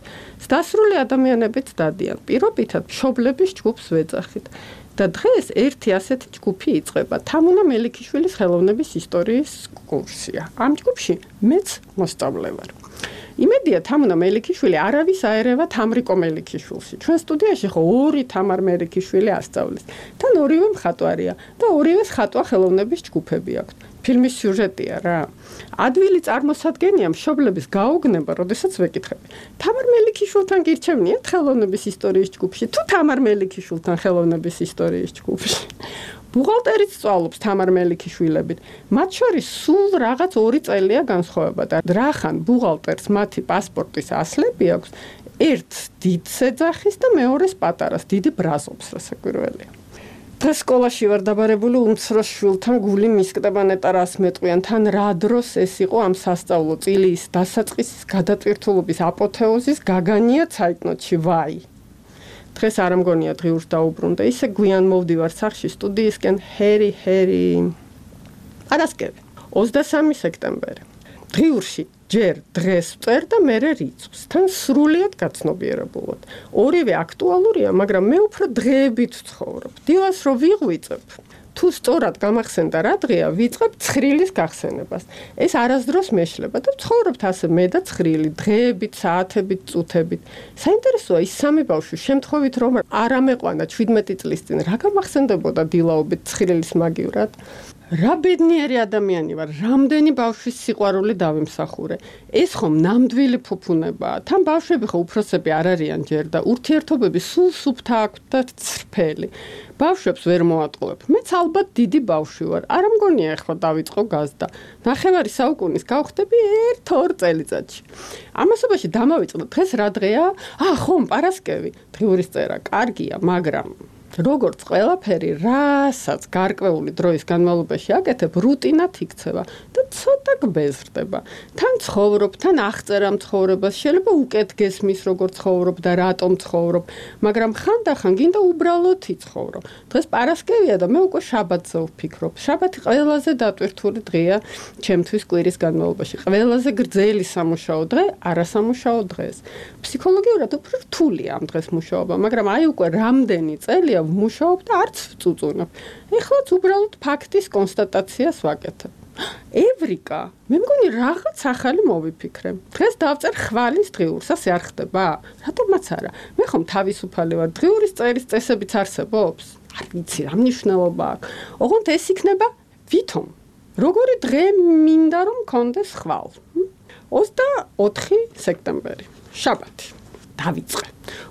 დასრული ადამიანებიც დადიან. პირობითად მშობლების ჯგუფს ვეძახით. და დღეს ერთი ასეთი ჯგუფი იწყება. თამუნა მელიქიშვილის ხელოვნების ისტორიის კურსია. ამ ჯგუფში მეც მოსწავლე ვარ. იმედია თამუნა მელიქიშვილი არავის აერევა თამრიკო მელიქიშვილში. ჩვენ სტუდიაში ხო 2 თამარ მელიქიშვილი ასწავლის. თან ორივე მხატვარია და ორივეს ხატვა ხელოვნების ჯგუფები აქვთ. ფილმის სიუჟეტია რა. ადვილი წარმოსადგენია მშობლების გაუგნება, როდესაც ვეკითხები. თამარ მელიქიშვილთან გირჩევნიათ ხელოვნების ისტორიის ჯგუფში, თუ თამარ მელიქიშვილთან ხელოვნების ისტორიის ჯგუფში. ბუღალტერიც სწავლობს თამარ მელიქიშვილებით. მათ შორის სულ რაღაც 2 წელია განსხვავება და რახან ბუღალტერს მათი პასპორტის ასლები აქვს, ერთ დიდ ეძახის და მეორეს პატარას, დიდი ბრაზობს, რასაკვირველია. დღეს სკოლაში ვარ დაბარებული უმცროს შვილთან გული მისკდება ნეტა რას მეტყვიან, თან რა დროს ეს იყო ამ სასწავლო წილის დასაწყისის გადატვირთულობის აპოთეოზის გაგანია ცაიტნოტში, ვაი. დღეს არ მგონია დღიურს დაუბრუნდა. ისე გვიან მოვდივარ სახში სტუდიისკენ ჰერი პარასკევი 23 სექტემბერი. დღიურში ჯერ დღეს წერ და მერე რიცხვს. თან სრულიად გაცნობიერებულად. ორივე აქტუალურია, მაგრამ მე უფრო დღეებით ვცხოვრობ. დილას რო ვიღვიწებ, თუ სწორად გამახსენდა რა დღეა, ვიწყებ ცხრილის გახსენებას. ეს არასდროს მეშლება და ვცხოვრობთ ასე მე და ცხრილი, დღეებით, საათებით, წუთებით. საინტერესოა ის სამი ბავშვი შემთხვევით რომ არ ამეყვანა 17 წლის წინ, რა გამახსენდებოდა დილაობით ცხრილის მაგივრად? რა ბედნიერი ადამიანი ვარ, რამდენი ბავშვის სიყვარული დავიმსახურე. ეს ხომ ნამდვილი ფუფუნებაა. თან ბავშვები ხო უფროსები არ არიან ჯერ და ურთიერთობები სულ სუფთა აქვთ და ცრფელი. ბავშვებს ვერ მოატყუებ. მეც ალბათ დიდი ბავშვი ვარ. არ მგონია ეხლა დავიწყო გაზდა. ნახევარი საუკუნის გავხდები 1-2 წელიწადში. ამასობაში დამავიწყდა დღეს რა დღეა? ხომ პარასკევი. დღიურის წერა კარგია, მაგრამ როგორც ყველაფერი, რასაც გარკვეული დროის განმავლობაში აკეთებ, რუტინად იქცევა და ცოტა გბეზრდება. თან ცხოვრობ, თან აღწერა ცხოვრებას, შეიძლება უკეთ გესმის, როგორ ცხოვრობ და რატომ ცხოვრობ, მაგრამ ხანდახან გინდა უბრალოდ იცხოვრო. დღეს პარასკევია და მე უკვე შაბათზე ვფიქრობ. შაბათი ყველაზე დატვირთული დღეა ჩემთვის კვირის განმავლობაში. ყველაზე გრძელი სამუშაო დღე, არასამუშაო დღეს. ფსიქოლოგიურად უფრო რთულია ამ დღეს მუშაობა, მაგრამ აი უკვე რამდენი წელია ვმუშაობ და არც ვწუწუნებ. ეხლაც უბრალოდ ფაქტის კონსტატაციას ვაკეთებ. ევრიკა, მე მგონი რაღაც ახალი მოვიფიქრე. დღეს დავწერ ხვალის დღიურს, ასე არ ხდება? რატომაც არა? მე ხომ თავისუფალი ვარ, დღიურის წერის წესებიც არსებობს? არ ვიცი, რა მნიშვნელობა აქვს. ოღონდ ეს იქნება ვითომ. როგორი დღე მინდა რომ მქონდეს ხვალ? 24 სექტემბერი, შაბათი. დავიწყე.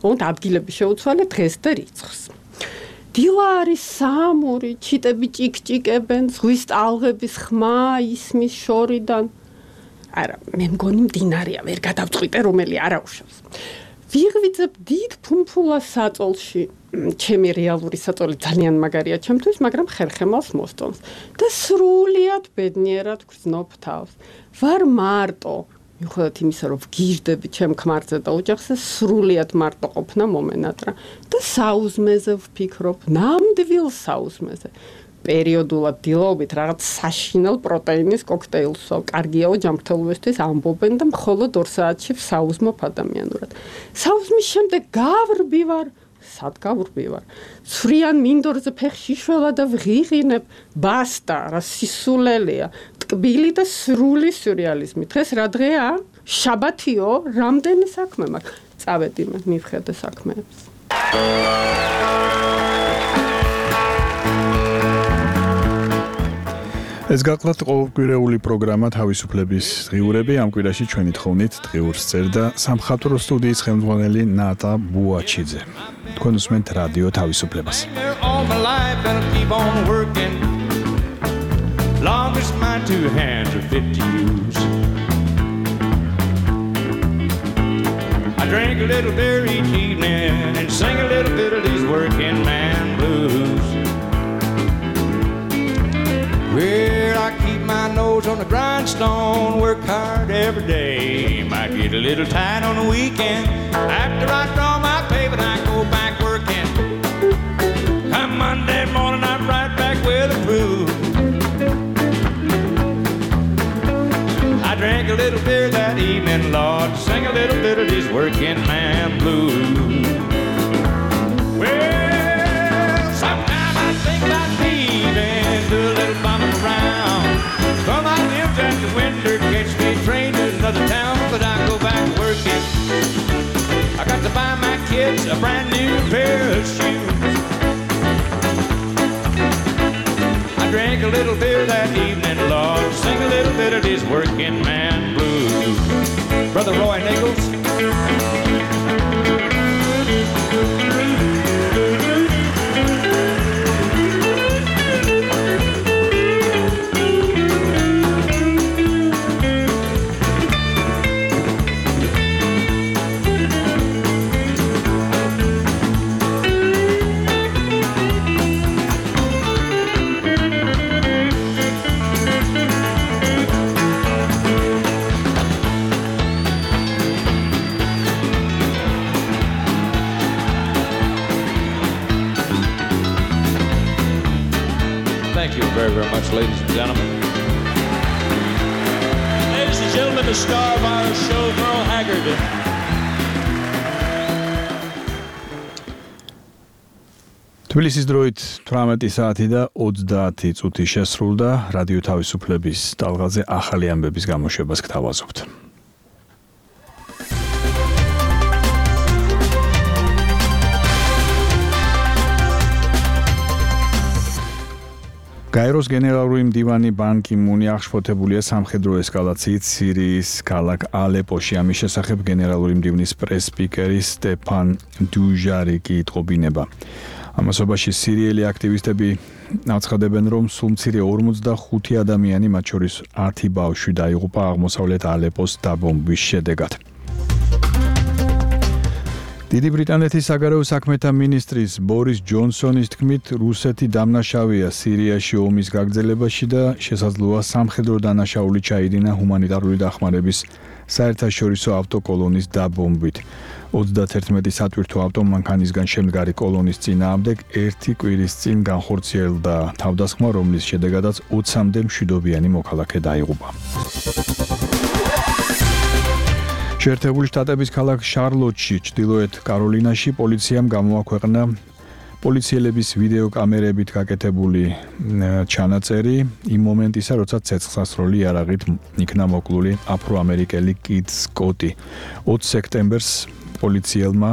ოღონდ ადგილები შეუცვალე დღეს და რიცხვს. დილა არის სამური, ჩიტები ჭიკჭიკებენ, ზღვის ტალღების ხმა ისმის შორიდან. არა, მე მგონი მდინარეა, ვერ გადავწყვიტე რომელი არაუშავს. ვიღვიძებ დიდ ფუმფულას საწოლში. ჩემი რეალური საწოლი ძალიან მაგარია ჩემთვის, მაგრამ ხერხემალს მოსწონს და სრულიად ბედნიერად გრძნობ თავს. ვარ მარტო. მიუხედავად იმისა, რომ ვგიჟდები ჩემ ქმარზე და ოჯახზე, სრულიად მარტო ყოფნა მომენატრა და საუზმეზე ვფიქრობ, ნამდვილ საუზმეზე. პერიოდულად დილაობით რაღაც საშინელ პროტეინის კოქტეილს ვსვავ. კარგიაო ჯანმრთელობისთვის ამბობენ და მხოლოდ 2 საათში ვსაუზმობ ადამიანურად. საუზმის შემდეგ გავრბივარ. სად გავრბივარ? ცვრიან მინდორზე ფეხში შველა და ვღიღინებ. ბასტა, რა სისულელეა. ტკბილი და სრული სიურეალიზმი. დღეს რა დღეა? შაბათიო, რამდენი საქმე მაქვს? წავედი მე, მივხედე საქმეებს. ეს გახლავთ ყოველკვირეული პროგრამა თავისუფლების დღიურები. ამ კვირაში ჩვენი თხოვნით დღიურს წერდა სამხატვრო სტუდიის ხელმძღვანელი ნატა ბუაჩიძე. თქვენ უსმენთ რადიო თავისუფლებას. Long as my 2 hands are fit to use. I drink a little beer each evening and sing a little bit of these working man blues. Well, I keep my nose on the grindstone, work hard every day. Might get a little tight on the weekend. After I draw my pay, but I go back working. Come Monday morning, I'm right back with the crew. I drank a little beer that evening, Lord, sing a little bit of these working man blues. Well, sometimes I think about leaving, do a little bumming around. From my limbs at the winter, catch me a train to another town, but I go back working. I got to buy my kids a brand new pair of shoes. Drank a little beer that evening, Lord, sing a little bit of these working man blues. Brother Roy Nichols. Thank you very, very much, ladies and gentlemen. Ladies and gentlemen, the star of our show, Merle Haggard. თბილისის დროით 18 საათი და 30 წუთი შესრულდა. რადიო თავისუფლების ტალღაზე ახალი ამბების გამოშვებას გთავაზობთ. გაეროს გენერალური მდივანი ბან კი მუნი აღშფოთებულია სამხედრო ესკალაციით სირიის ქალაქ ალეპოში. ამის შესახებ გენერალური მდივნის პრეს-სპიკერი სტეფან დუჟარიკი იტყობინება. ამასობაში სირიელი აქტივისტები აცხადებენ, რომ სულ მცირე 45 ადამიანი, მათ შორის 10 ბავშვი დაიღუპა აღმოსავლეთ ალეპოს დაბომბვის შედეგად. დიდი ბრიტანეთის საგარეო საქმეთა მინისტრის ბორის ჯონსონის თქმით, რუსეთი დამნაშავეა სირიაში ომის გაგრძელებაში და შესაძლოა სამხედრო დანაშაული ჩაიდინა ჰუმანიტარული დახმარების საერთაშორისო ავტოკოლონის დაბომბვით. 31 სატვირთო ავტომანქანისგან შემდგარი კოლონის წინააღმდეგ 1 კვირის წინ განხორციელდა თავდასხმა, რომლის შედეგადაც 20-მდე მშვიდობიანი მოქალაქე დაიღუპა. შეერთებული შტატების ქალაქ შარლოტში, ჩრდილოეთ კაროლინაში პოლიციამ გამოაქვეყნა პოლიციელების ვიდეო კამერებით გაკეთებული ჩანაწერი იმ მომენტისა, როცა ცეცხლსასროლი იარაღით იქნა მოკლული აფროამერიკელი კით სკოტი. 20 სექტემბერს პოლიციელმა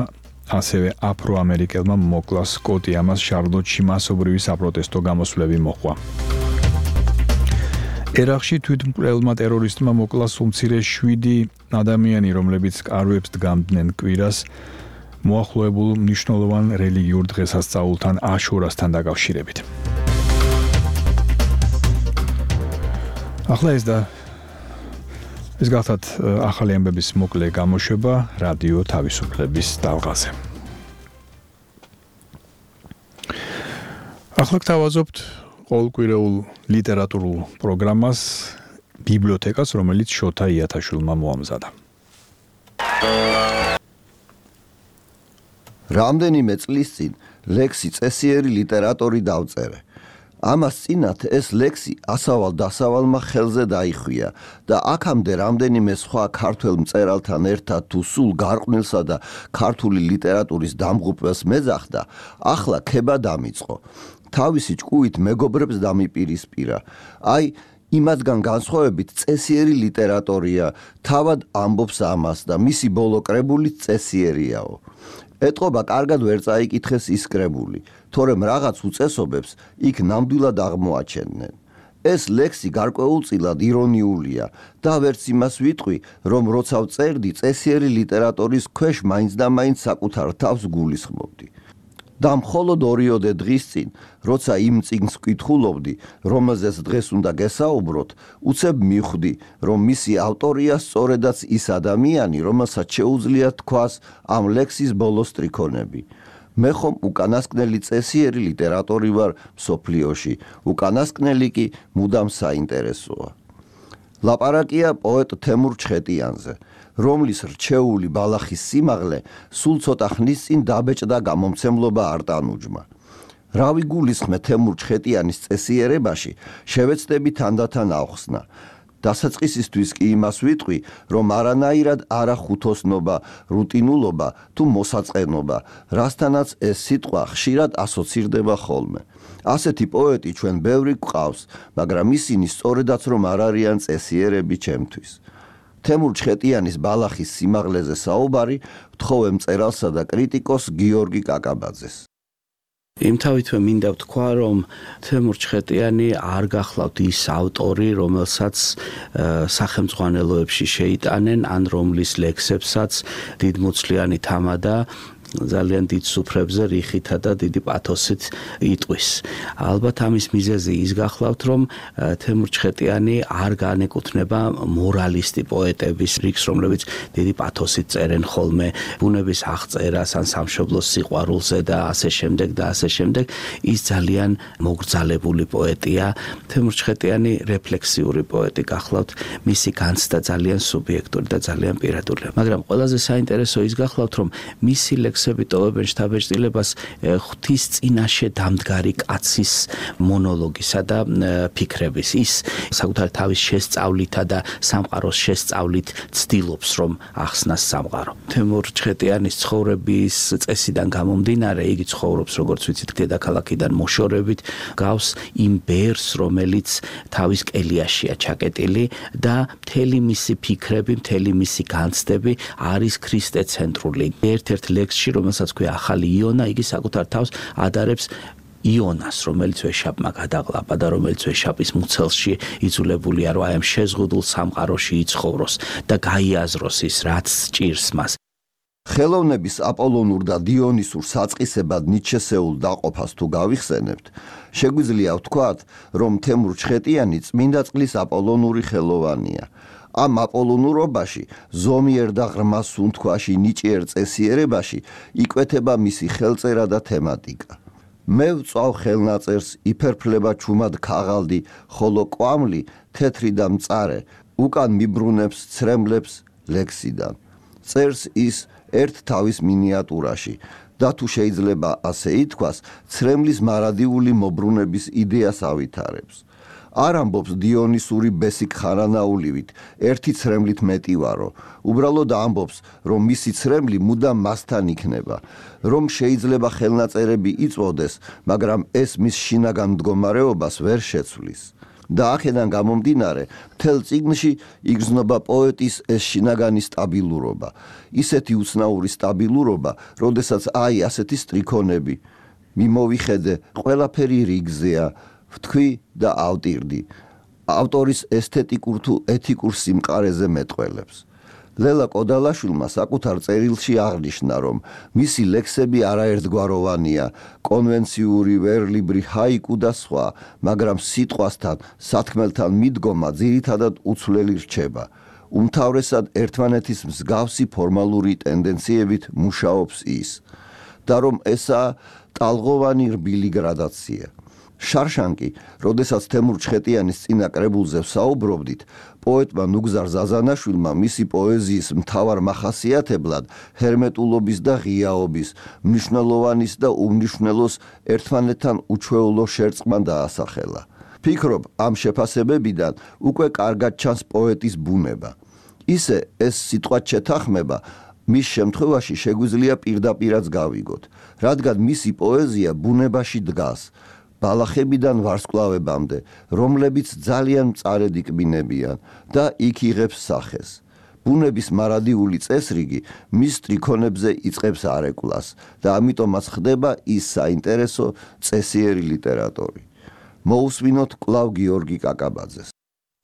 ასევე აფროამერიკელმა მოკლა სკოტი. ამას შარლოტში მასობრივი საპროტესტო გამოსვლები მოჰყვა. ერაყში თვითმკვლელმა ტერორისტმა მოკლა სულ მცირე 7 ადამიანი, რომლებიც კარვებს დგამდნენ კვირას მოახლოებულ მნიშვნელოვან რელიგიურ დღესასწაულთან აშურასთან დაკავშირებით. ახლა ეს გახლავთ ახალი ამბების მოკლე გამოშვება რადიო თავისუფლების ტალღაზე. ახლა გთავაზობთ ყოველკვირეულ ლიტერატურულ პროგრამას ბიბლიოთეკას, რომელიც შოთა იათაშვილმა მოამზადა. რამდენიმე წლის წინ ლექსი წესიერი ლიტერატორი დავწერე. ამას წინათ ეს ლექსი ასავალ-დასავალმა ხელზე დაიხვია და აქამდე რამდენიმე სხვა ქართველ მწერალთან ერთად თუ სულ გარყვნილსა და ქართული ლიტერატურის დამღუპვას მეძახდა, ახლა ქება დამიწყო. თავისი ჭკუით მეგობრებს დამიპირისპირა. აი, იმათგან განსხვავებით წესიერი ლიტერატორია, თავად ამბობს ამას და მისი ბოლო კრებულიც წესიერიაო. ეტყობა კარგად ვერ წაიკითხეს ის კრებული, თორემ რაღაც უწესობებს იქ ნამდვილად აღმოაჩენდნენ. ეს ლექსი გარკვეულწილად ირონიულია და ვერც იმას ვიტყვი, რომ როცა ვწერდი წესიერი ლიტერატურის ქვეშ მაინც და მაინც საკუთარ თავს გულისხმობდი. და მხოლოდ 2 დღის წინ, როცა იმ წიგნს ვკითხულობდი, რომელზეც დღეს უნდა გესაუბროთ, უცებ მივხვდი, რომ მისი ავტორია სწორედაც ის ადამიანი, რომელსაც შეუძლია თქვას ამ ლექსის ბოლო სტრიქონები. მე ხომ უკანასკნელი წესიერი ლიტერატორი ვარ მსოფლიოში, უკანასკნელი კი მუდამ საინტერესოა. ლაპარაკია პოეტ თემურ ჩხეტიანზე, რომლის რჩეული ბალახის სიმაღლე სულ ცოტა ხნის წინ დაბეჭდა გამომცემლობა არტანუჯმა. რა ვიგულისხმე თემურ ჩხეტიანის წესიერებაში, შევეცდები თანდათან ავხსნა. დასაწყისისთვის კი იმას ვიტყვი, რომ არანაირად არა ხუთოსნობა, რუტინულობა თუ მოსაწყენობა, რასთანაც ეს სიტყვა ხშირად ასოცირდება ხოლმე. ასეთი პოეტი ჩვენ ბევრი გვყავს, მაგრამ ისინი სწორედაც რომ არ არიან წესიერები ჩემთვის. თემურ ჩხეტიანის ბალახის სიმაღლეზე საუბარი ვთხოვე მწერალსა და კრიტიკოს გიორგი კაკაბაძეს. იმთავითვე მინდა ვთქვა, რომ თემურ ჩხეტიანი არ გახლავთ ის ავტორი, რომელსაც სახელმძღვანელოებში შეიტანენ, ან რომლის ლექსებსაც დიდმოცლიანი თამადა ძალიან დიდ სუფრებზე რიხითა და დიდი პათოსით იტყვის. ალბათ ამის მიზეზი ის გახლავთ, რომ თემურ ჩხეტიანი არ განეკუთვნება მორალისტი პოეტების რიგს, რომლებიც დიდი პათოსით წერენ ხოლმე ბუნების აღწერას ან სამშობლოს სიყვარულზე და ასე შემდეგ და ასე შემდეგ. ის ძალიან მოგრძალებული პოეტია. თემურ ჩხეტიანი რეფლექსიური პოეტი გახლავთ, მისი განცდა ძალიან სუბიექტური და ძალიან პირადულია. მაგრამ ყველაზე საინტერესო ის გახლავთ, რომ მისი ლექსები ტოვებენ შთაბეჭდილებას ღვთის წინაშე დამდგარი კაცის მონოლოგისა და ფიქრების. ის საკუთარ თავის შესწავლითა და სამყაროს შესწავლით ცდილობს რომ ახსნას სამყარო. თემურ ჩხეტიანის ცხოვრების წესიდან გამომდინარე, იგი ცხოვრობს როგორც ვიცით დედაქალაქიდან მოშორებით, გავს იმ ბერს, რომელიც თავის კელიაშია ჩაკეტილი და მთელი მისი ფიქრები, მთელი მისი განცდები არის ქრისტეცენტრული. ერთ-ერთ ლექსში, რომელსაც ქვია ახალი იონა, იგი საკუთარ თავს ადარებს იონას, რომელიც ვეშაპმა გადაყლაპა და რომელიც ვეშაპის მუცელში იძულებულია, რომ აი ამ შეზღუდულ სამყაროში იცხოვროს და გაიაზროს ის, რაც სჭირს მას. ხელოვნების აპოლონურ და დიონისურ საწყისებად ნიჩესეულ დაყოფას თუ გავიხსენებთ, შეგვიძლია ვთქვათ, რომ თემურ ჩხეტიანი წმინდა წყლის აპოლონური ხელოვანია. ამ აპოლონურობაში, ზომიერ და ღრმა სუნთქვაში, ნიჭიერ წესიერებაში იკვეთება მისი ხელწერა და თემატიკა. მე ვწვავ ხელნაწერს, იფერფლება ჩუმად ქაღალდი, ხოლო კვამლი, თეთრი და მწარე, უკან მიბრუნებს ცრემლებს ლექსიდან. წერს ის ერთ თავის მინიატურაში და თუ შეიძლება ასე ითქვას, ცრემლის მარადიული მობრუნების იდეას ავითარებს. არ ამბობს დიონისური ბესიკ ხარანაულივით, ერთი ცრემლით მეტი ვარო. უბრალოდ ამბობს, რომ მისი ცრემლი მუდამ მასთან იქნება, რომ შეიძლება ხელნაწერები იწვოდეს, მაგრამ ეს მის შინაგან მდგომარეობას ვერ შეცვლის. და აქედან გამომდინარე, მთელ წიგნში იგრძნობა პოეტის ეს შინაგანი სტაბილურობა, ისეთი უცნაური სტაბილურობა, როდესაც აი ასეთი სტრიქონები, მიმოვიხედე, ყველაფერი რიგზეა, ვთქვი და ავტირდი. ავტორის ესთეტიკურ თუ ეთიკურ სიმყარეზე მეტყველებს. ლელა კოდალაშვილმა საკუთარ წერილში აღნიშნა, რომ მისი ლექსები არაერთგვაროვანია, კონვენციური, ვერლიბრი, ჰაიკუ და სხვა, მაგრამ სიტყვასთან, სათქმელთან მიდგომა ძირითადად უცვლელი რჩება. უმთავრესად ერთმანეთის მსგავსი ფორმალური ტენდენციებით მუშაობს ის. და რომ ესაა ტალღოვანი რბილი გრადაცია. შარშანკი, როდესაც თემურ ჩხეტიანის წინა კრებულზე ვსაუბრობდით, პოეტმა ნუგზარ ზაზანაშვილმა მისი პოეზიის მთავარ მახასიათებლად ჰერმეტულობის და ღიაობის, მნიშვნელოვანის და უმნიშვნელოს ერთმანეთთან უჩვეულო შერწყმა დაასახელა. ფიქრობ, ამ შეფასებებიდან უკვე კარგად ჩანს პოეტის ბუნება. ისე ეს სიტყვა შეთანხმება მის შემთხვევაში შეგვიძლია პირდაპირაც გავიგოთ, რადგან მისი პოეზია ბუნებაში დგას. ბალახებიდან ვარსკვლავებამდე, რომლებიც ძალიან მწარედ იკბინებიან და იქ იღებს სახეს. ბუნების მარადიული წესრიგი მის სტრიქონებზე იწყებს არეკვლას და ამიტომაც ხდება ის საინტერესო წესიერი ლიტერატორი. მოусვინოთ კვლავ გიორგი კაკაბაძეს.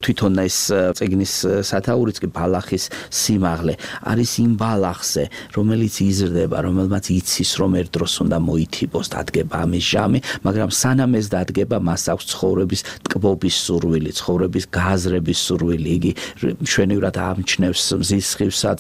თვითონ ეს წიგნის სათაურიც კი ბალახის სიმაღლე არის იმ ბალახზე, რომელიც იზრდება, რომელმაც იცის, რომ ერთ დროს უნდა მოითიბოს, დადგება ამის ჟამი, მაგრამ სანამ ეს დადგება, მას აქვს ცხოვრების ტკბობის სურვილი, ცხოვრების გააზრების სურვილი. იგი მშვენივრად ამჩნევს მზის სხივსაც,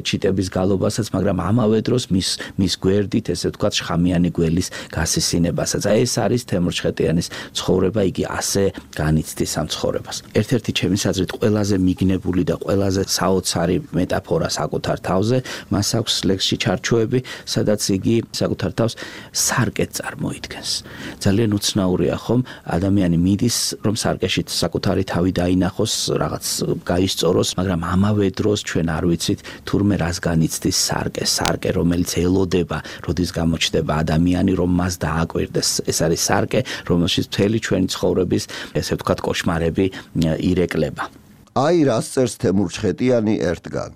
ჩიტების გალობასაც, მაგრამ ამავე დროს მის გვერდით, ესე ვთქვათ, შხამიანი გველის გასისინებასაც. ეს არის თემურ ჩხეტიანის ცხოვრება, იგი ასე განიცდის ამ ცხოვრებას. ერთ-ერთი ჩემის აზრით ყველაზე მიგნებული და ყველაზე საოცარი მეტაფორა საკუთარ თავზე, მას აქვს ლექსში ჩარჩოები, სადაც იგი საკუთარ თავს სარკეთ წარმოიდგენს. ძალიან უცნაურია ხომ, ადამიანი მიდის, რომ სარკეში საკუთარი თავი დაინახოს, რაღაც გაისწოროს, მაგრამ ამავე დროს ჩვენ არ ვიცით თურმე რას განიცდის სარკე, რომელიც ელოდება, როდის გამოჩნდება ადამიანი, რომ მას დააკვირდეს. ეს არის სარკე, რომელშიც მთელი ჩვენი ცხოვრების, ესე ვთქვათ, კოშმარები ირეკლება. აი რას წერს თემურ ჩხეტიანი ერთგან.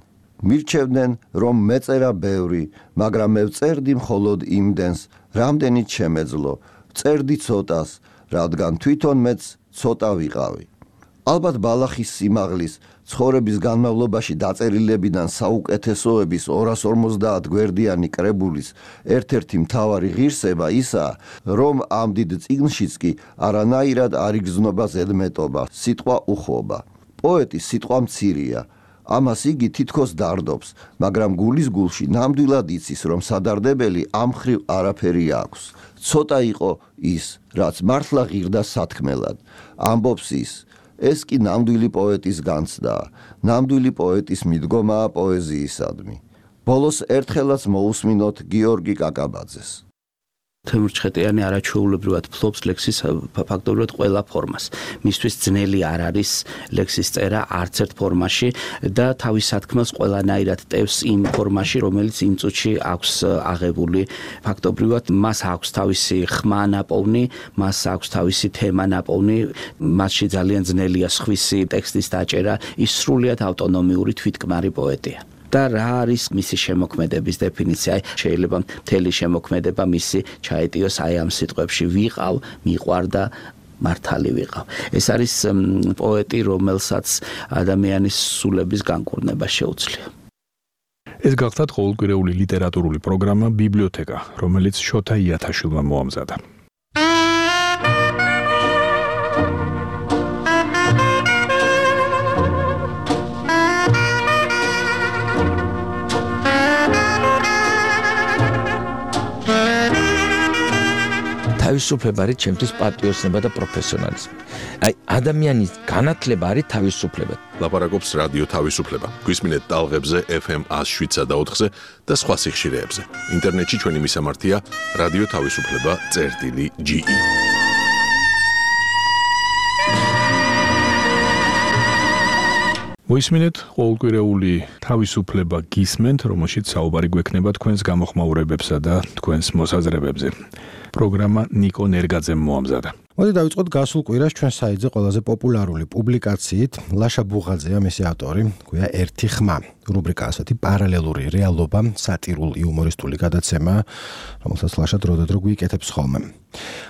მირჩევდნენ, რომ მეწერა ბევრი, მაგრამ მე ვწერდი მხოლოდ იმდენს, რამდენიც შემეძლო. წერდი ცოტას, რადგან თვითონ მეც ცოტა ვიყავი. ალბათ ბალახის სიმაღლის, ცხოვრების განმავლობაში დაწერილებიდან საუკეთესოების 250 გვერდიანი კრებულის ერთ-ერთი მთავარი ღირსება ისაა, რომ ამ დიდ წიგნშიც კი არანაირად არ იგრძნობა ზედმეტობა, სიტყვა უხვობა. პოეტი სიტყვა მცირეა, ამას იგი თითქოს დარდობს, მაგრამ გულის გულში ნამდვილად იცის, რომ სადარდებელი ამ ხრივ არაფერი აქვს. ცოტა იყო ის, რაც მართლა ღირდა სათქმელად. ამბობს ის, ეს კი ნამდვილი პოეტის განცდაა, ნამდვილი პოეტის მიდგომაა პოეზიისადმი. ბოლოს ერთხელაც მოусმინოთ გიორგი კაკაბაძეს. თემურჩხეტიანი არაჩვეულებრივად ფლობს ლექსის ფაქტობრივად ყველა ფორმას. მისთვის ძნელი არ არის ლექსის წერა არც ერთ ფორმაში და თავის სათქმელს ყველანაირად ტევს იმ ფორმაში, რომელიც იმ წუთში აქვს აღებული. ფაქტობრივად მას აქვს თავისი ხმა ნაპოვნი, მას აქვს თავისი თემა ნაპოვნი, მასში ძალიან ძნელია სხვისი ტექსტის დაჭერა, ის სრულიად ავტონომიური თვითკმარი პოეტია. და რა არის მისი შემოქმედების დეფინიცია? შეიძლება მთელი შემოქმედება მისი ჩაეტიოს აი ამ სიტყვებში ვიყავ, მიყვარდა, მართალი ვიყავ. ეს არის პოეტი, რომელსაც ადამიანის სულების განკურნება შეუძლია. ეს გახლავთ ყოველკვირეული ლიტერატურული პროგრამა ბიბლიოთეკა, რომელიც შოთა იათაშვილმა მოამზადა. თავისუფლება არის ჩემთვის პატრიოტიზმი და პროფესიონალიზმი. აი ადამიანის განათლება არის თავისუფლება. ლაპარაკობს რადიო თავისუფლება. გვისმინეთ ტალღებზე FM 107.4-ზე და სხვა სიხშირეებზე. ინტერნეტში ჩვენი მისამართია რადიო თავისუფლება.ge. მოისმინეთ ყოველკვირეული თავისუფლება გისმენთ, რომელშიც საუბარი გვექნება თქვენს გამოხმაურებებსა და თქვენს მოსაზრებებზე. პროგრამა ნიკო ნერგაძემ მოამზადა. მოდი დავიწყოთ გასულ კვირას ჩვენ საიტზე ყველაზე პოპულარული პუბლიკაციით. ლაშა ბუღაძეა მისი ავტორი, გვია ერთი ხმა. რუბრიკა ასეთი პარალელური რეალობა, სატირულ იუმორისტული გადაცემა, რომელსაც ლაშა დროდადრო გვიკეთებს ხოლმე.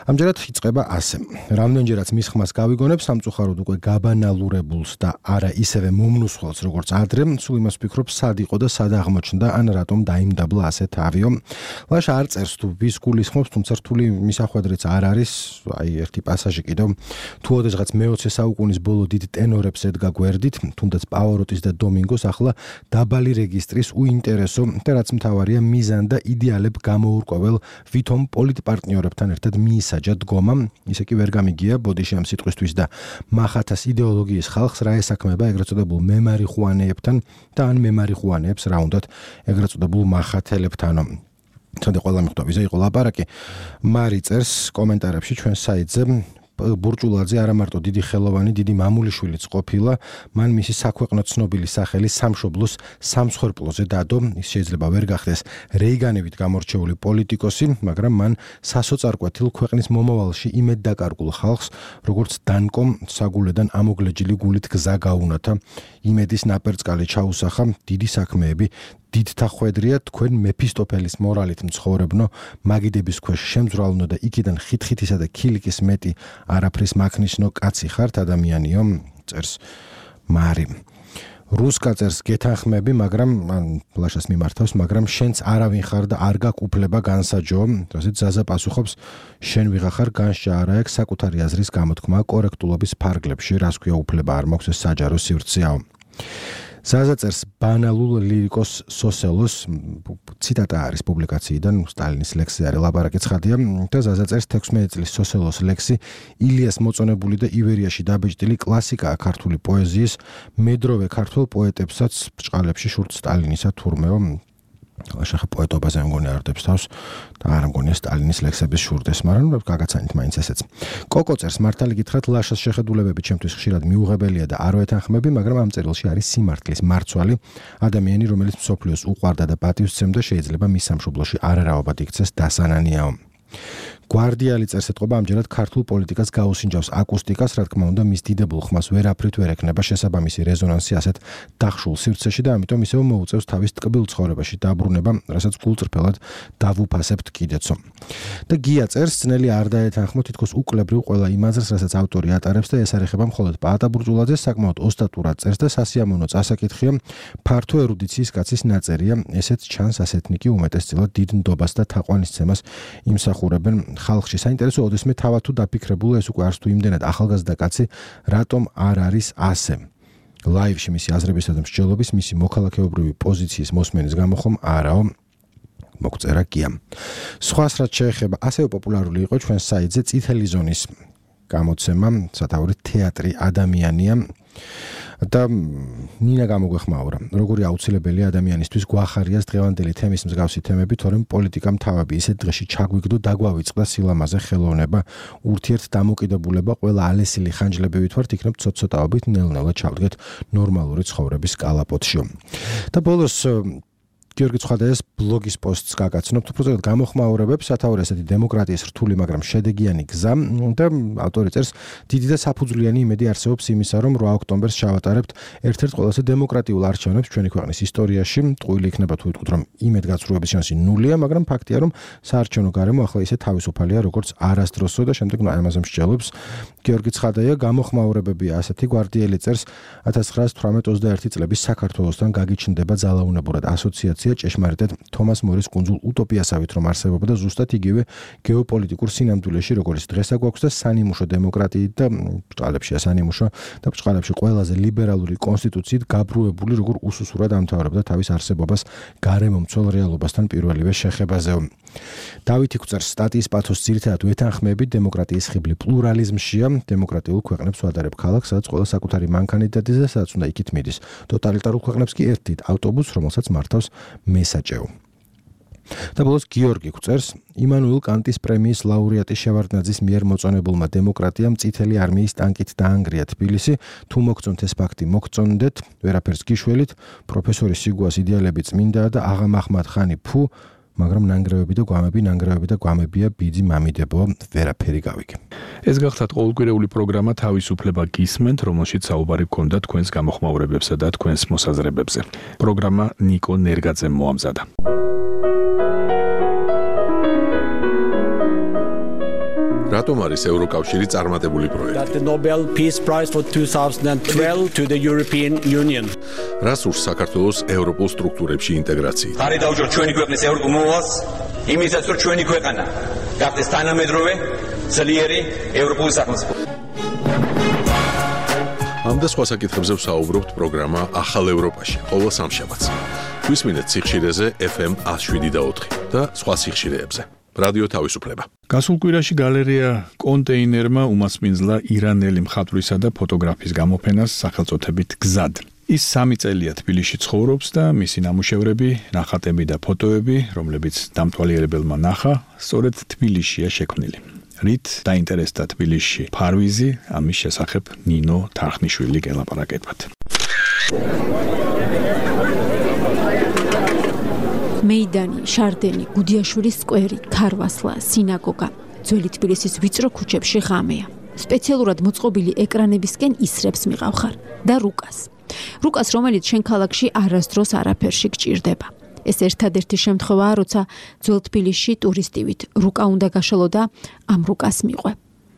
ამჯერად იწყება ასე. რამდენჯერაც მის ხმას გავიგონებ, სამწუხაროდ უკვე გაბანალურებულს და არა ისევე მომნუსხველს, როგორც ადრე, სულ იმას ვფიქრობ, სად იყო და სად აღმოჩნდა, ან რატომ დაიმდაბლა ასე თავიო. ლაშა არ წერს თუ ვის გულისხმობს, თუმცა რთული მისახვედრიც არ არის, აი ერთი პასაჟი კიდევ, თუ ოდესღაც მე-20 საუკუნის ბოლო დიდ ტენორებს ედგა გვერდით, თუნდაც პავაროტის და დომინგოს, ახლა დაბალი რეგისტრის უინტერესო და რაც მთავარია მიზან და იდეალებ გამოურკვევალ ვითომ პოლიტპარტნიორებთან ერთად მიისაჯა დგომა, ისე კი ვერ გამიგია ბოდიში ამ სიტყვისთვის და მახათას იდეოლოგიის ხალხს რა ესაქმება ეგრეთ წოდებულ მემარიხუანეებთან და ან მემარიხუანეებს რა უნდათ ეგრეთ წოდებულ მახათელებთანო. თუნდაც ყველა მიხვდა ვიზე იყო ლაპარაკი. მარი წერს კომენტარებში ჩვენ საიტზე ბურჭულაძე არა მარტო დიდი ხელოვანი, დიდი მამულიშვილიც ყოფილა, მან მისი საქვეყნო ცნობილი სახელი სამშობლოს სამსხვერპლოზე დადო, ის შეიძლება ვერ გახდეს რეიგანებით გამორჩეული პოლიტიკოსი, მაგრამ მან სასოწარკვეთილ ქვეყნის მომავალში იმედ დაკარგულ ხალხს, როგორც დანკომ საგულედან ამოგლეჯილი გულით გზა გაუნათა, იმედის ნაპერწკალი ჩაუსახა, დიდი საქმეები დიდთა ხვედრია თქვენ მეფისტოფელის მორალით მცხოვრებნო, მაგიდების ქვეშ შემძვრალნო და იქიდან ხითხითისა და ქილიკის მეტი არაფრის მაქნიშნო კაცი ხართ ადამიანიო, წერს მარი. რუსკა წერს გეთანხმები, მაგრამ ლაშას მიმართავს, მაგრამ შენც არავინ ხარ და არ გაქვს უფლება განსაჯო, რაზეც ზაზა პასუხობს, შენ ვიღახარ განსჯა არა აქვს საკუთარი აზრის გამოთქმა კორექტულობის ფარგლებში, რას ქვია უფლება არ მაქვს ეს საჯარო სივრცეაო. ზაზა წერს ბანალულ ლირიკოს სოსელოს, ციტატა არის პუბლიკაციიდან, სტალინის ლექსზე არის ლაპარაკი ცხადია და ზაზა წერს 16 წლის სოსელოს ლექსი ილიას მოწონებული და ივერიაში დაბეჭდილი კლასიკაა ქართული პოეზიის, მედროვე ქართულ პოეტებსაც ბჭყალებში შურთ სტალინისა თურმეო. ლაშა პოეტობაზე მგონი არდებს თავს და არ მგონია სტალინის ლექსების შურდეს, მაგრამ გაგაცანით მაინც ესეც. კოკო წერს მართალი გითხრათ, ლაშას შეხედულებები ჩემთვის ხშირად მიუღებელია და არ ვეთანხმები, მაგრამ ამ წერილში არის სიმართლის მარცვალი, ადამიანი, რომელიც მსოფლიოს უყვარდა და პატივსცემდა, შეიძლება მის სამშობლოში არარავად იქცეს დასანანიაო. გვარდიალი წერს ეთყობა ამჯერად ქართულ პოლიტიკას გაუსინჯავს აკუსტიკას, რა თქმა უნდა, მის დიდებულ ხმას ვერაფრით ვერ ექნება შესაბამისი რეზონანსი ასეთ დახშულ სივრცეში და ამიტომ ისევ მოუწევს თავის ტკბილ ცხოვრებაში დაბრუნება, რასაც გულწრფელად დავუფასებთ კიდეცო. და გია წერს, ძნელი არ დაეთანხმო თითქოს უკლებრივ ყველა იმ აზრს, რასაც ავტორი ატარებს და ესარეხება მხოლოდ პაატა ბურჭულაძეს, საკმაოდ ოსტატურად წერს და სასიამოვნო წასაკითხია, ფართო ერუდიციის კაცის ნაწერია, ესეც ჩანს ასეთნიკი უმეტესწილად დიდ ნდობას და თაყვანისცემას იმსახურებენ ხალხში. საინტერესო ოდესმე თავად თუ დაფიქრებულა ეს უკვე არც თუ იმდენად ახალგაზრდა კაცი, რატომ არ არის ასე. ლაივში მისი აზრებისა და მსჯელობის, მისი მოქალაქეობრივი პოზიციის მოსმენის გამო ხომ არაო. მოგწერა გია. სხვას რაც შეეხება, ასევე პოპულარული იყო ჩვენ საიტზე წითელი ზონის გამოცემა, სათაური თეატრი ადამიანია. და ნინა გამოგვეხმაურა, როგორი აუცილებელი ადამიანისთვის გვახარიას დღევანდელი თემის მსგავსი თემები, თორემ პოლიტიკამ თავები ისეთ დღეში ჩაგვიგდო, დაგვავიწყდა სილამაზე, ხელოვნება, ურთიერთდამოკიდებულება, ყველა ალესილი ხანჯლებივით ვართ, იქნებ ცოტ-ცოტაობით ნელ-ნელა ჩავდგეთ ნორმალური ცხოვრების კალაპოტში. და ბოლოს გიორგი ცხადაიას ბლოგის პოსტს გაგაცნობთ, უბრალოდ გამოხმაურებებს სათავე ესეთი დემოკრატიის რთული, მაგრამ შედეგიანი გზა და ავტორი წერს, დიდი და საფუძვლიანი იმედი არსებობს იმისა, რომ 8 ოქტომბერს ჩავატარებთ ერთ-ერთ ყველაზე დემოკრატიულ არჩევნებს ჩვენი ქვეყნის ისტორიაში. ტყუილი იქნება თუ ვიტყვით, რომ იმედგაცრუების შანსი ნულია, მაგრამ ფაქტია, რომ საარჩევნო გარემო ახლა ისე თავისუფალია, როგორც არასდროსო და შემდეგ ამაზე მსჯელობს გიორგი ცხადაია. გამოხმაურებებია ასეთი, გვარდიელი წერს 1918-21 წლების საქართველოსთან გაგიჩნდება ძალაუნებურად ასოციაცია ჭეშმარიტად თომას მორის კუნძულ უტოპიასავით რომ არსებობდა და ზუსტად იგივე გეოპოლიტიკურ სინამდვილეში როგორც დღესა გვაქვს და სანიმუშო დემოკრატიით და ბჭყალებშია სანიმუშო და ბჭყალებში ყველაზე ლიბერალური კონსტიტუციით გაბრუებული როგორ უსუსურად ამთავრებდა თავის არსებობას გარემომცველ რეალობასთან პირველივე შეხებაზე. დავითი გვწერს სტატიის პათოს ძირითადად ვეთანხმებით დემოკრატიის ხიბლი პლურალიზმშია, დემოკრატიულ ქვეყნებს ვადარებ ქალაქს, სადაც ყველა საკუთარი მანქანით დადის და სადაც უნდა იქით მიდის. ტოტალიტარულ ქვეყნებს კი ერთით ავტობუსს, რომელსაც მართავს მესაჭეო. და ბოლოს გიორგი გვწერს, იმანუელ კანტის პრემიის ლაურეატი შევარდნაძის მიერ მოწონებულმა დემოკრატიამ წითელი არმიის ტანკით დაანგრია თბილისი, თუ მოგწონთ ეს ფაქტი მოგწონდეთ, ვერაფერს გიშველით, პროფესორი სიგუას იდეალები წმინდაა და აღა მაჰმად ხანი ფუ, მაგრამ ნანგრევები და გვამებია ბიძი მამიდებოა, ვერაფერი გავიგე. ეს გახლავთ ყოველკვირეული პროგრამა თავისუფლება გისმენთ, რომელშიც საუბარი გქონდა თქვენს გამოხმაურებებსა და თქვენს მოსაზრებებზე. პროგრამა ნიკო ნერგაძემ მოამზადა. რატომ არის ევროკავშირი წარმატებული პროექტი? The Nobel Peace Prize for 2012 to the European Union. რას ურს საქართველოს ევროპულ სტრუქტურებში ინტეგრაციით? ხარი დაუჯეროთ ჩვენი ქვეყნის ევროპულ მოვალს, იმისაც რომ ჩვენი ქვეყანა გახდეს თანამედროვე, ძლიერი ევროპული სახელმწიფო. ამ და სხვა საკითხებზე ვსაუბრობთ პროგრამა ახალ ევროპაში, ყოველ სამშაბათს. გვისმინეთ სიხშირეზე FM 107.4 და სხვა სიხშირეებზე. რადიო თავისუფლება. გასულ კვირაში გალერეა კონტეინერმა უმასპინძლა ირანელი მხატვრისა და ფოტოგრაფის გამოფენას სახელწოდებით გზად. ის 3 წელია თბილისში ცხოვრობს და მისი ნამუშევრები, ნახატები და ფოტოები, რომლებიც დამთვალიერებელმა ნახა, სწორედ თბილისშია შექმნილი. რით დაინტერესდა თბილისში ფარვიზი, ამის შესახებ ნინო თარხნიშვილი გელაპარაკებათ. მეიდანი, შარდენი, გუდიაშვილის სკვერი, ქარვასლა, სინაგოგა, ძველი თბილისის ვიწრო ქუჩებში ღამეა. სპეციალურად მოწყობილი ეკრანებისკენ ისრებს მიყავხარ და რუკას, რომელიც შენ ქალაქში არასდროს არაფერში გჭირდება. ეს ერთადერთი შემთხვევაა, როცა ძველ თბილისში ტურისტივით რუკა უნდა გაშალო და ამ რუკას მიყვე.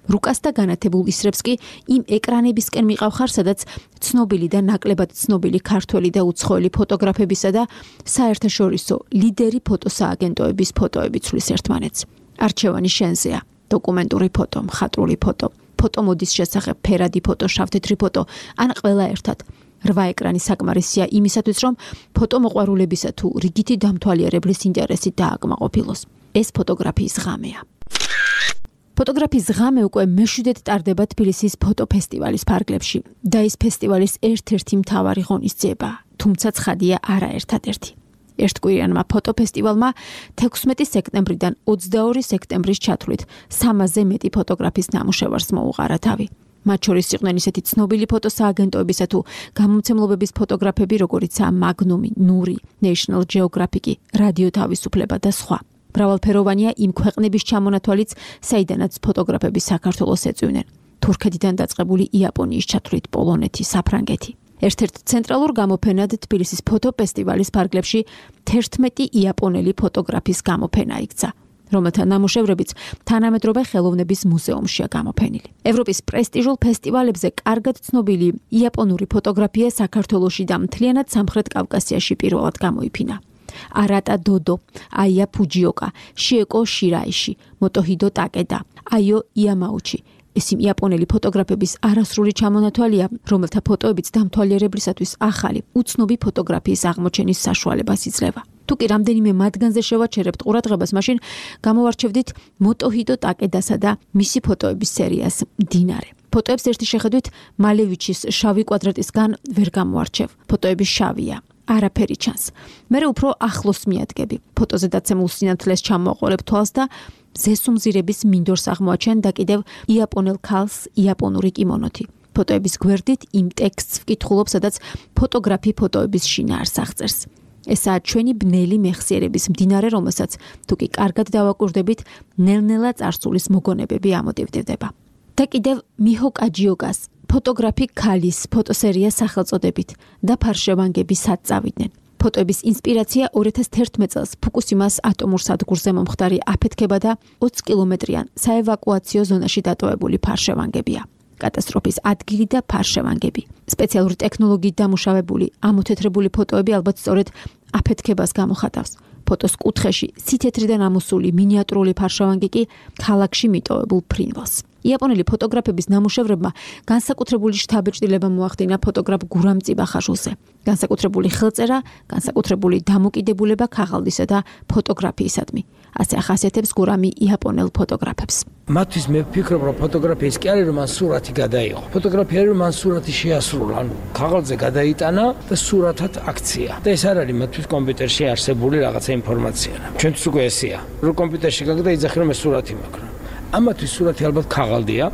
რუკას და განათებულ ისრებს კი იმ ეკრანებისკენ მიყავხარ, სადაც ცნობილი და ნაკლებად ცნობილი ქართველი და უცხოელი ფოტოგრაფებისა და საერთაშორისო ლიდერი ფოტოსააგენტოების ფოტოები ცვლის ერთმანეთს. არჩევანი შენზეა. დოკუმენტური ფოტო, მხატვრული ფოტო, ფოტომოდის შესახებ ფერადი ფოტო, შავთეთრი ფოტო, ან ყველა ერთად. 8 ეკრანი საკმარისია იმისათვის, რომ ფოტომოყვარულებისა თუ რიგითი დამთვალიერებლის ინტერესით დააკმაყოფილოს. ეს ფოტოგრაფიის ღამეა. ფოტოგრაფიის ღამე უკვე მეშვიდედ ტარდება თბილისის ფოტოფესტივალის ფარგლებში და ის ფესტივალის ერთ-ერთი მთავარი ღონისძიება, თუმცა ცხადია არა ერთადერთი. ერთკვირიანმა ფოტოფესტივალმა 16 სექტემბრიდან 22 სექტემბრის ჩათვლით 300-ზე მეტი ფოტოგრაფის ნამუშევარს მოუყარა თავი. მათ შორის იყვნენ ისეთი ცნობილი ფოტოსააგენტოებისა თუ გამომცემლობების ფოტოგრაფები, როგორიცაა მაგნუმი, ნური, National Geographic, რადიო თავისუფლება და სხვა. მრავალფეროვანია იმ ქვეყნების ჩამონათვალიც, საიდანაც ფოტოგრაფები საქართველოს ეწვივნენ. თურქეთიდან დაწყებული იაპონიის ჩათვლით პოლონეთი, საფრანგეთი. ერთ-ერთ ცენტრალურ გამოფენად თბილისის ფოტოფესტივალის ფარგლებში 11 იაპონელი ფოტოგრაფის გამოფენა იქცა, რომელთა ნამუშევრებიც თანამედროვე ხელოვნების მუზეუმშია გამოფენილი. ევროპის პრესტიჟულ ფესტივალებზე კარგად ცნობილი იაპონური ფოტოგრაფია საქართველოში და მთლიანად სამხრეთ კავკასიაში პირველად გამოიფინა. არატა დოდო, აია ფუჯიოკა, შიეკო შირაიში, მოტოჰიდო ტაკედა, აიო იამაუჩი. ეს იმ იაპონელი ფოტოგრაფების არასრული ჩამონათვალია, რომელთა ფოტოებიც დამთვალიერებლისათვის ახალი, უცნობი ფოტოგრაფიის აღმოჩენის საშუალებას იძლევა. თუ კი რამდენიმე მათგანზე შევაჩერებთ ყურადღებას, მაშინ გამოვარჩევდით მოტოჰიდო ტაკედასა და მისი ფოტოების სერიას მდინარე. ფოტოებს ერთი შეხედვით მალევიჩის შავი კვადრატისგან ვერ გამოარჩევ. ფოტოები შავია. არაფერი ჩანს. მე უფრო ახლოს მიადგები. ფოტოზე დაცემულ სინათლეს ჩამოყოლებ თვალს და ზესუმზირების მინდორს აღმოაჩენ და კიდევ იაპონელ ქალს იაპონური კიმონოთი. ფოტოების გვერდით იმ ტექსტს ვკითხულობ, სადაც ფოტოგრაფი ფოტოების შინაარს აღწერს. ესაა ჩვენი ბნელი მეხსიერების მდინარე, რომელსაც თუ კი კარგად დავაკვირდებით, ნელ-ნელა წარსულის მოგონებები ამოტივტივდება. და კიდევ მიჰო კაჯიოგას ფოტოგრაფი ქალის ფოტოსერია სახელწოდებით და ფარშევანგები სად წავიდნენ. ფოტოების ინსპირაცია 2011 წელს ფუკუსიმას ატომურ სადგურზე მომხდარი აფეთქება და 20 კილომეტრიან საევაკუაციო ზონაში დატოვებული ფარშევანგებია. კატასტროფის ადგილი და ფარშევანგები. სპეციალური ტექნოლოგიით დამუშავებული, ამოთეთრებული ფოტოები ალბათ სწორედ აფეთქებას გამოხატავს. ფოტოს კუთხეში სითეთრიდან ამოსული მინიატურული ფარშევანგი კი ქალაქში მიტოვებულ ფრინველს. იაპონელი ფოტოგრაფების ნამუშევრებმა განსაკუთრებული შთაბეჭდილება მოახდინა ფოტოგრაფ გურამ წიბახაშვილზე. განსაკუთრებული ხელწერა, განსაკუთრებული დამოკიდებულება ქაღალდისა და ფოტოგრაფიისადმი. ასე ახასიათებს გურამი იაპონელ ფოტოგრაფებს. მათთვის მე ვფიქრობ, რომ ფოტოგრაფია ის კი არის, რომ მან სურათი გადაიღო. ფოტოგრაფია არის, რომ მან სურათი შეასრულა, ანუ ქაღალდზე გადაიტანა და სურათად აქცია. და ეს არ არის მათთვის კომპიუტერში არსებული რაღაცა ინფორმაცია. ჩვენთვის უკვე ესეა. რომ კომპიუტერში გაგდა იძახი, რომ ეს სურათი მაქვს. ამათთვის სურათი ალბათ ქაღალდია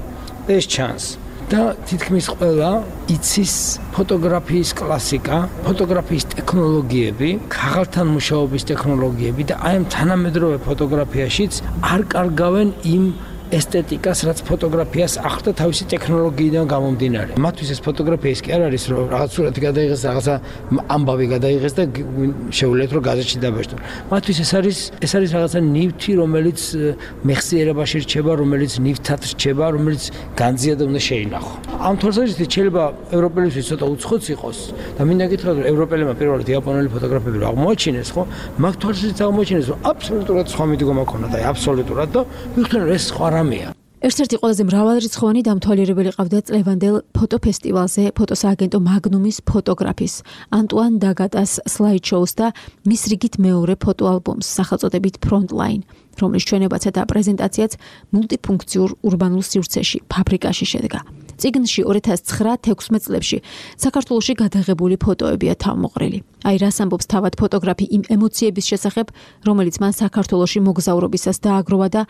და ეს ჩანს. და თითქმის ყველა იცის ფოტოგრაფიის კლასიკა, ფოტოგრაფიის ტექნოლოგიები, ქაღალდთან მუშაობის ტექნოლოგიები და აი ამ თანამედროვე ფოტოგრაფიაშიც არ კარგავენ იმ ესთეტიკას, რაც ფოტოგრაფიას ახლდა თავისი ტექნოლოგიიდან გამომდინარე. მათთვის ეს ფოტოგრაფია ის კი არ არის, რომ რაღაც სურათი გადაიღეს, რაღაცა ამბავი გადაიღეს და შეუძლიათ რომ გაზეთში დაბეჭდონ. მათთვის ეს არის რაღაცა ნივთი, რომელიც მეხსიერებაში რჩება, რომელიც ნივთად რჩება, რომელიც განძია და უნდა შეინახო. ამ თვალსაზრისით შეიძლება ევროპელებისთვის ცოტა უცხოც იყოს და მინდა გითხრათ, რომ ევროპელებმა პირველად იაპონელი ფოტოგრაფები რო აღმოაჩინეს, ხო? მაგ თვალსაზრისით აღმოაჩინეს, რომ აბსოლუტურად სხვა მიდგომა ქონდა, აბსოლუტურად და ვიხდნენ, რომ ეს სხვა ერთ-ერთი ყველაზე მრავალრიცხოვანი დამთვალიერებელი ყავდა წლევანდელ ფოტოფესტივალზე ფოტოსააგენტო მაგნუმის ფოტოგრაფის ანტუან დაგატას სლაიდ-შოუს და მის რიგით მეორე ფოტოალბომს სახელწოდებით Frontline, რომლის ჩვენებაცა და პრეზენტაციაც მულტიფუნქციურ ურბანულ სივრცეში, ფაბრიკაში შედგა. წიგნში 2009-16 წლებში საქართველოში გადაღებული ფოტოებია თავმოყრილი. აი რას ამბობს თავად ფოტოგრაფი იმ ემოციების შესახებ, რომელიც მან საქართველოში მოგზაურობისას დააგროვა და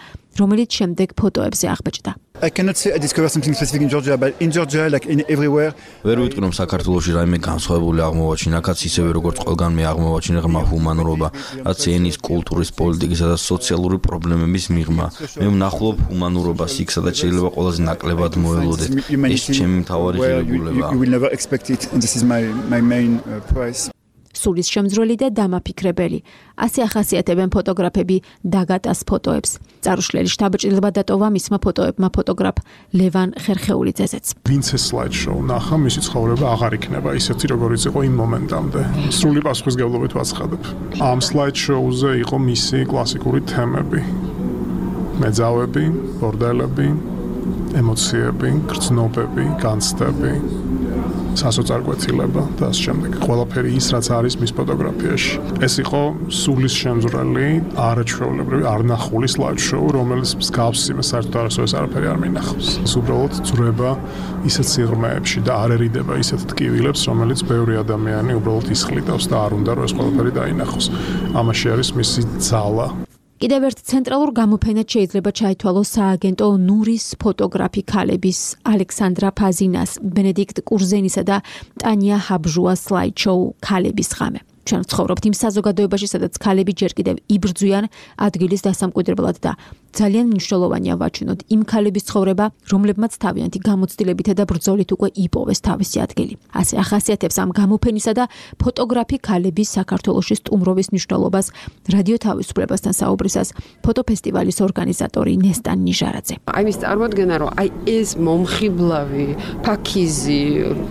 რომელიც შემდეგ ფოტოებზე აღბეჭდა. I cannot say I discovered something specific in Georgia, but in Georgia, like in everywhere. ვერ ვიტყვი რომ საქართველოში რაიმე განსხვავებული აღმოვაჩინა, აქაც ისევე როგორც ყველგან მე აღმოვაჩინე ღრმა ჰუმანურობა, რაც ენის, კულტურის, პოლიტიკისა და სოციალური პრობლემების მიღმა. მე ვნახულობ ჰუმანურობას იქ, სადაც შეიძლება ყველაზე ნაკლებად მოელოდეთ. ეს ჩემი მთავარი ღირებულება. You will never expect it, and this is my main prize. სულის შემძრელი და დამაფიქრებელი. ასე ახასიათებენ ფოტოგრაფები დაგატას ფოტოებს. წარუშლელი შთაბეჭდილება დატოვა მისმა ფოტოებმა ფოტოგრაფ ლევან ხერხეულიძეზეც. ვინც ეს სლაიდ-შოუ ნახა, მისი ცხოვრება აღარ იქნება ისეთი, როგორიც იყო იმ მომენტამდე. სრული პასუხისმგებლობით ვაცხადებ. ამ სლაიდ-შოუზე იყო მისი კლასიკური თემები. მეძავები, ბორდელები, ემოციები, გრძნობები, განცდები. სასოწარკვეთილება და ამ შემდეგ ყველაფერი ის რაც არის მის ფოტოგრაფიაში. ეს იყო სულის შემძვრელი, არაჩვეულებრივი, არნახული სლაიდ-შოუ, რომელიც მსგავს იმას საერთოდ არასოდეს არაფერი არ მინახავს. ეს უბრალოდ ძრება ისეთ სიღრმეებში და არ ერიდება ისეთ ტკივილებს, რომელიც ბევრი ადამიანი უბრალოდ ისხლიტავს და არ უნდა რომ ეს ყველაფერი დაინახოს. ამაში არის მისი ძალა. კიდევ ერთ ცენტრალურ გამოფენად შეიძლება ჩაითვალოს სააგენტო ნურის ფოტოგრაფი ქალების ალექსანდრა ფაზინას, ბენედიქტ კურზენისა და ტანია ჰაბჟუას სლაიდ-შოუ ქალების ღამე. ჩვენ ცხოვრობთ იმ საზოგადოებაში, სადაც ქალები ჯერ კიდევ იბრძვიან ადგილის დასამკვიდრებლად და ძალიან მნიშვნელოვანია ვაჩვენოთ იმ ქალების ცხოვრება, რომლებმაც თავიანთი გამოცდილებითა და ბრძოლით უკვე იპოვეს თავისი ადგილი. ასე ახასიათებს ამ გამოფენისა და ფოტოგრაფი ქალების საქართველოში სტუმრობის მნიშვნელობას რადიო თავისუფლებასთან საუბრისას ფოტოფესტივალის ორგანიზატორი ნესტან ნიჟარაძე. აი ის წარმოადგენა, რომ აი ეს მომხიბლავი, ფაქიზი,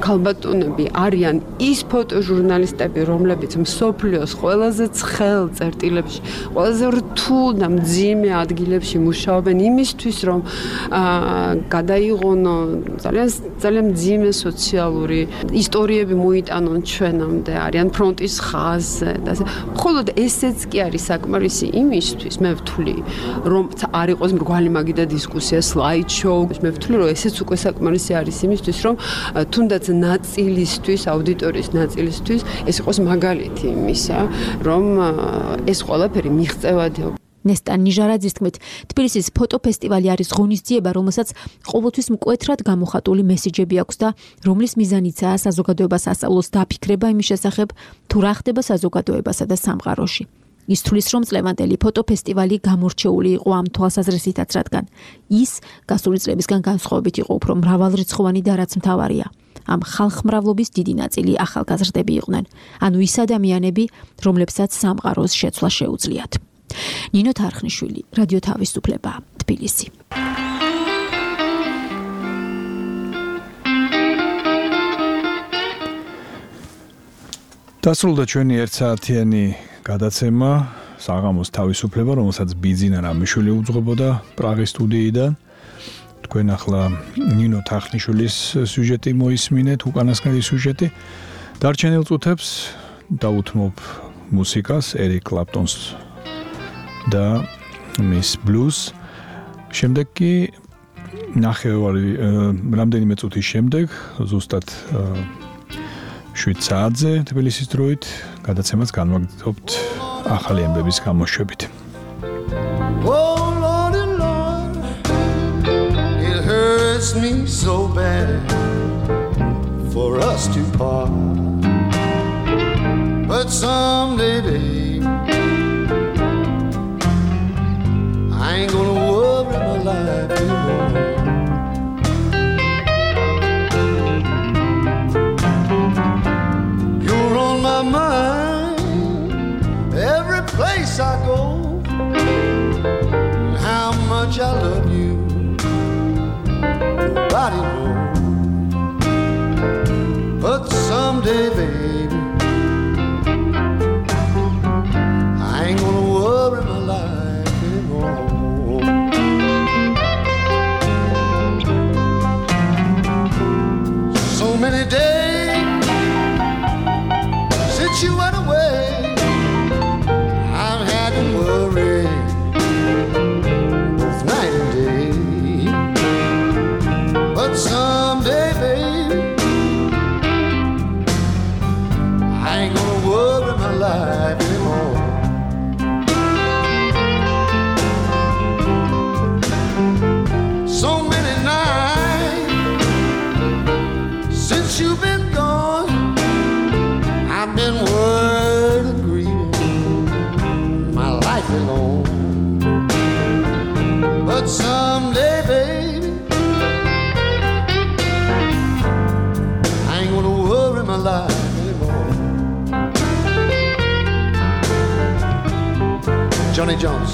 ქალბატონები არიან ის ფოტოჟურნალისტები, რომლებიც მსოფლიოს ყველაზე ცხელ წერტილებში, ყველაზე რთულ და მძიმე ადგილებში მუშაობენ იმისთვის, რომ გადაიღონო ძალიან მძიმე სოციალური ისტორიები მოიტანონ ჩვენამდე, არიან ფრონტის ხაზზე და ასე. მხოლოდ ესეც კი არის საკმარისი იმისთვის, მე ვთვლი, რომ არ იყოს მრგვალი მაგიდა დისკუსია, slide show, მე ვთვლი, რომ ესეც უკვე საკმარისი არის იმისთვის, რომ თუნდაც ნაწილისთვის, აუდიტორიის ნაწილისთვის ეს იყოს მაგალითი იმისა, რომ ეს ყველაფერი მიღწევადია. ნესტან ნიჟარაძის თქმით, თბილისის ფოტოფესტივალი არის ღონისძიება, რომელსაც ყოველთვის მკვეთრად გამოხატული მესიჯები აქვს და რომლის მიზანიცაა საზოგადოებას ასწავლოს დაფიქრება იმის შესახებ, თუ რა ხდება საზოგადოებასა და სამყაროში. ის თვლის, რომ წლევანდელი ფოტოფესტივალი გამორჩეული იყო ამ თვალსაზრისითაც, რადგან ის გასული წლებისგან განსხვავებით იყო უფრო მრავალრიცხოვანი და რაც მთავარია. ამ ხალხმრავლობის დიდი ნაწილი ახალგაზრდები იყვნენ, ანუ ის ადამიანები, რომლებსაც სამყაროს შეცვლა შეუძლიათ. ნინო თარხნიშვილი, რადიო თავისუფლება, თბილისი. დასრულდა ჩვენი ერთსაათიანი გადაცემა საღამოს თავისუფლება, რომელსაც ბიძინა რამიშვილი უძღვებოდა პრაღის სტუდიიდან. თქვენ ახლა ნინო თარხნიშვილის სიუჟეტი მოისმინეთ, უკანასკნელი სიუჟეტი. დარჩენილ წუთებს დაუთმობ მუსიკას, ერიკ კლაპტონს და მის ბლუზ. შემდეგ კი ნახევარი რამდენიმე წუთის შემდეგ, ზუსტად 7 საათზე თბილისის დროით გადაცემას განვაგრძობთ ახალი ამბების გამოშვებით. Me so bad for us to part, but someday, babe, I ain't gonna worry my life anymore. You're on my mind every place I go, how much I love you nobody knows, but someday, baby, I ain't gonna worry my life anymore. So many days since you went away, I've had to worry both night and day. But someday, baby, I ain't gonna worry my life anymore. So many nights since you've been gone, I've been worried and grieving my life alone. But someday, baby, my life anymore. Johnny Jones.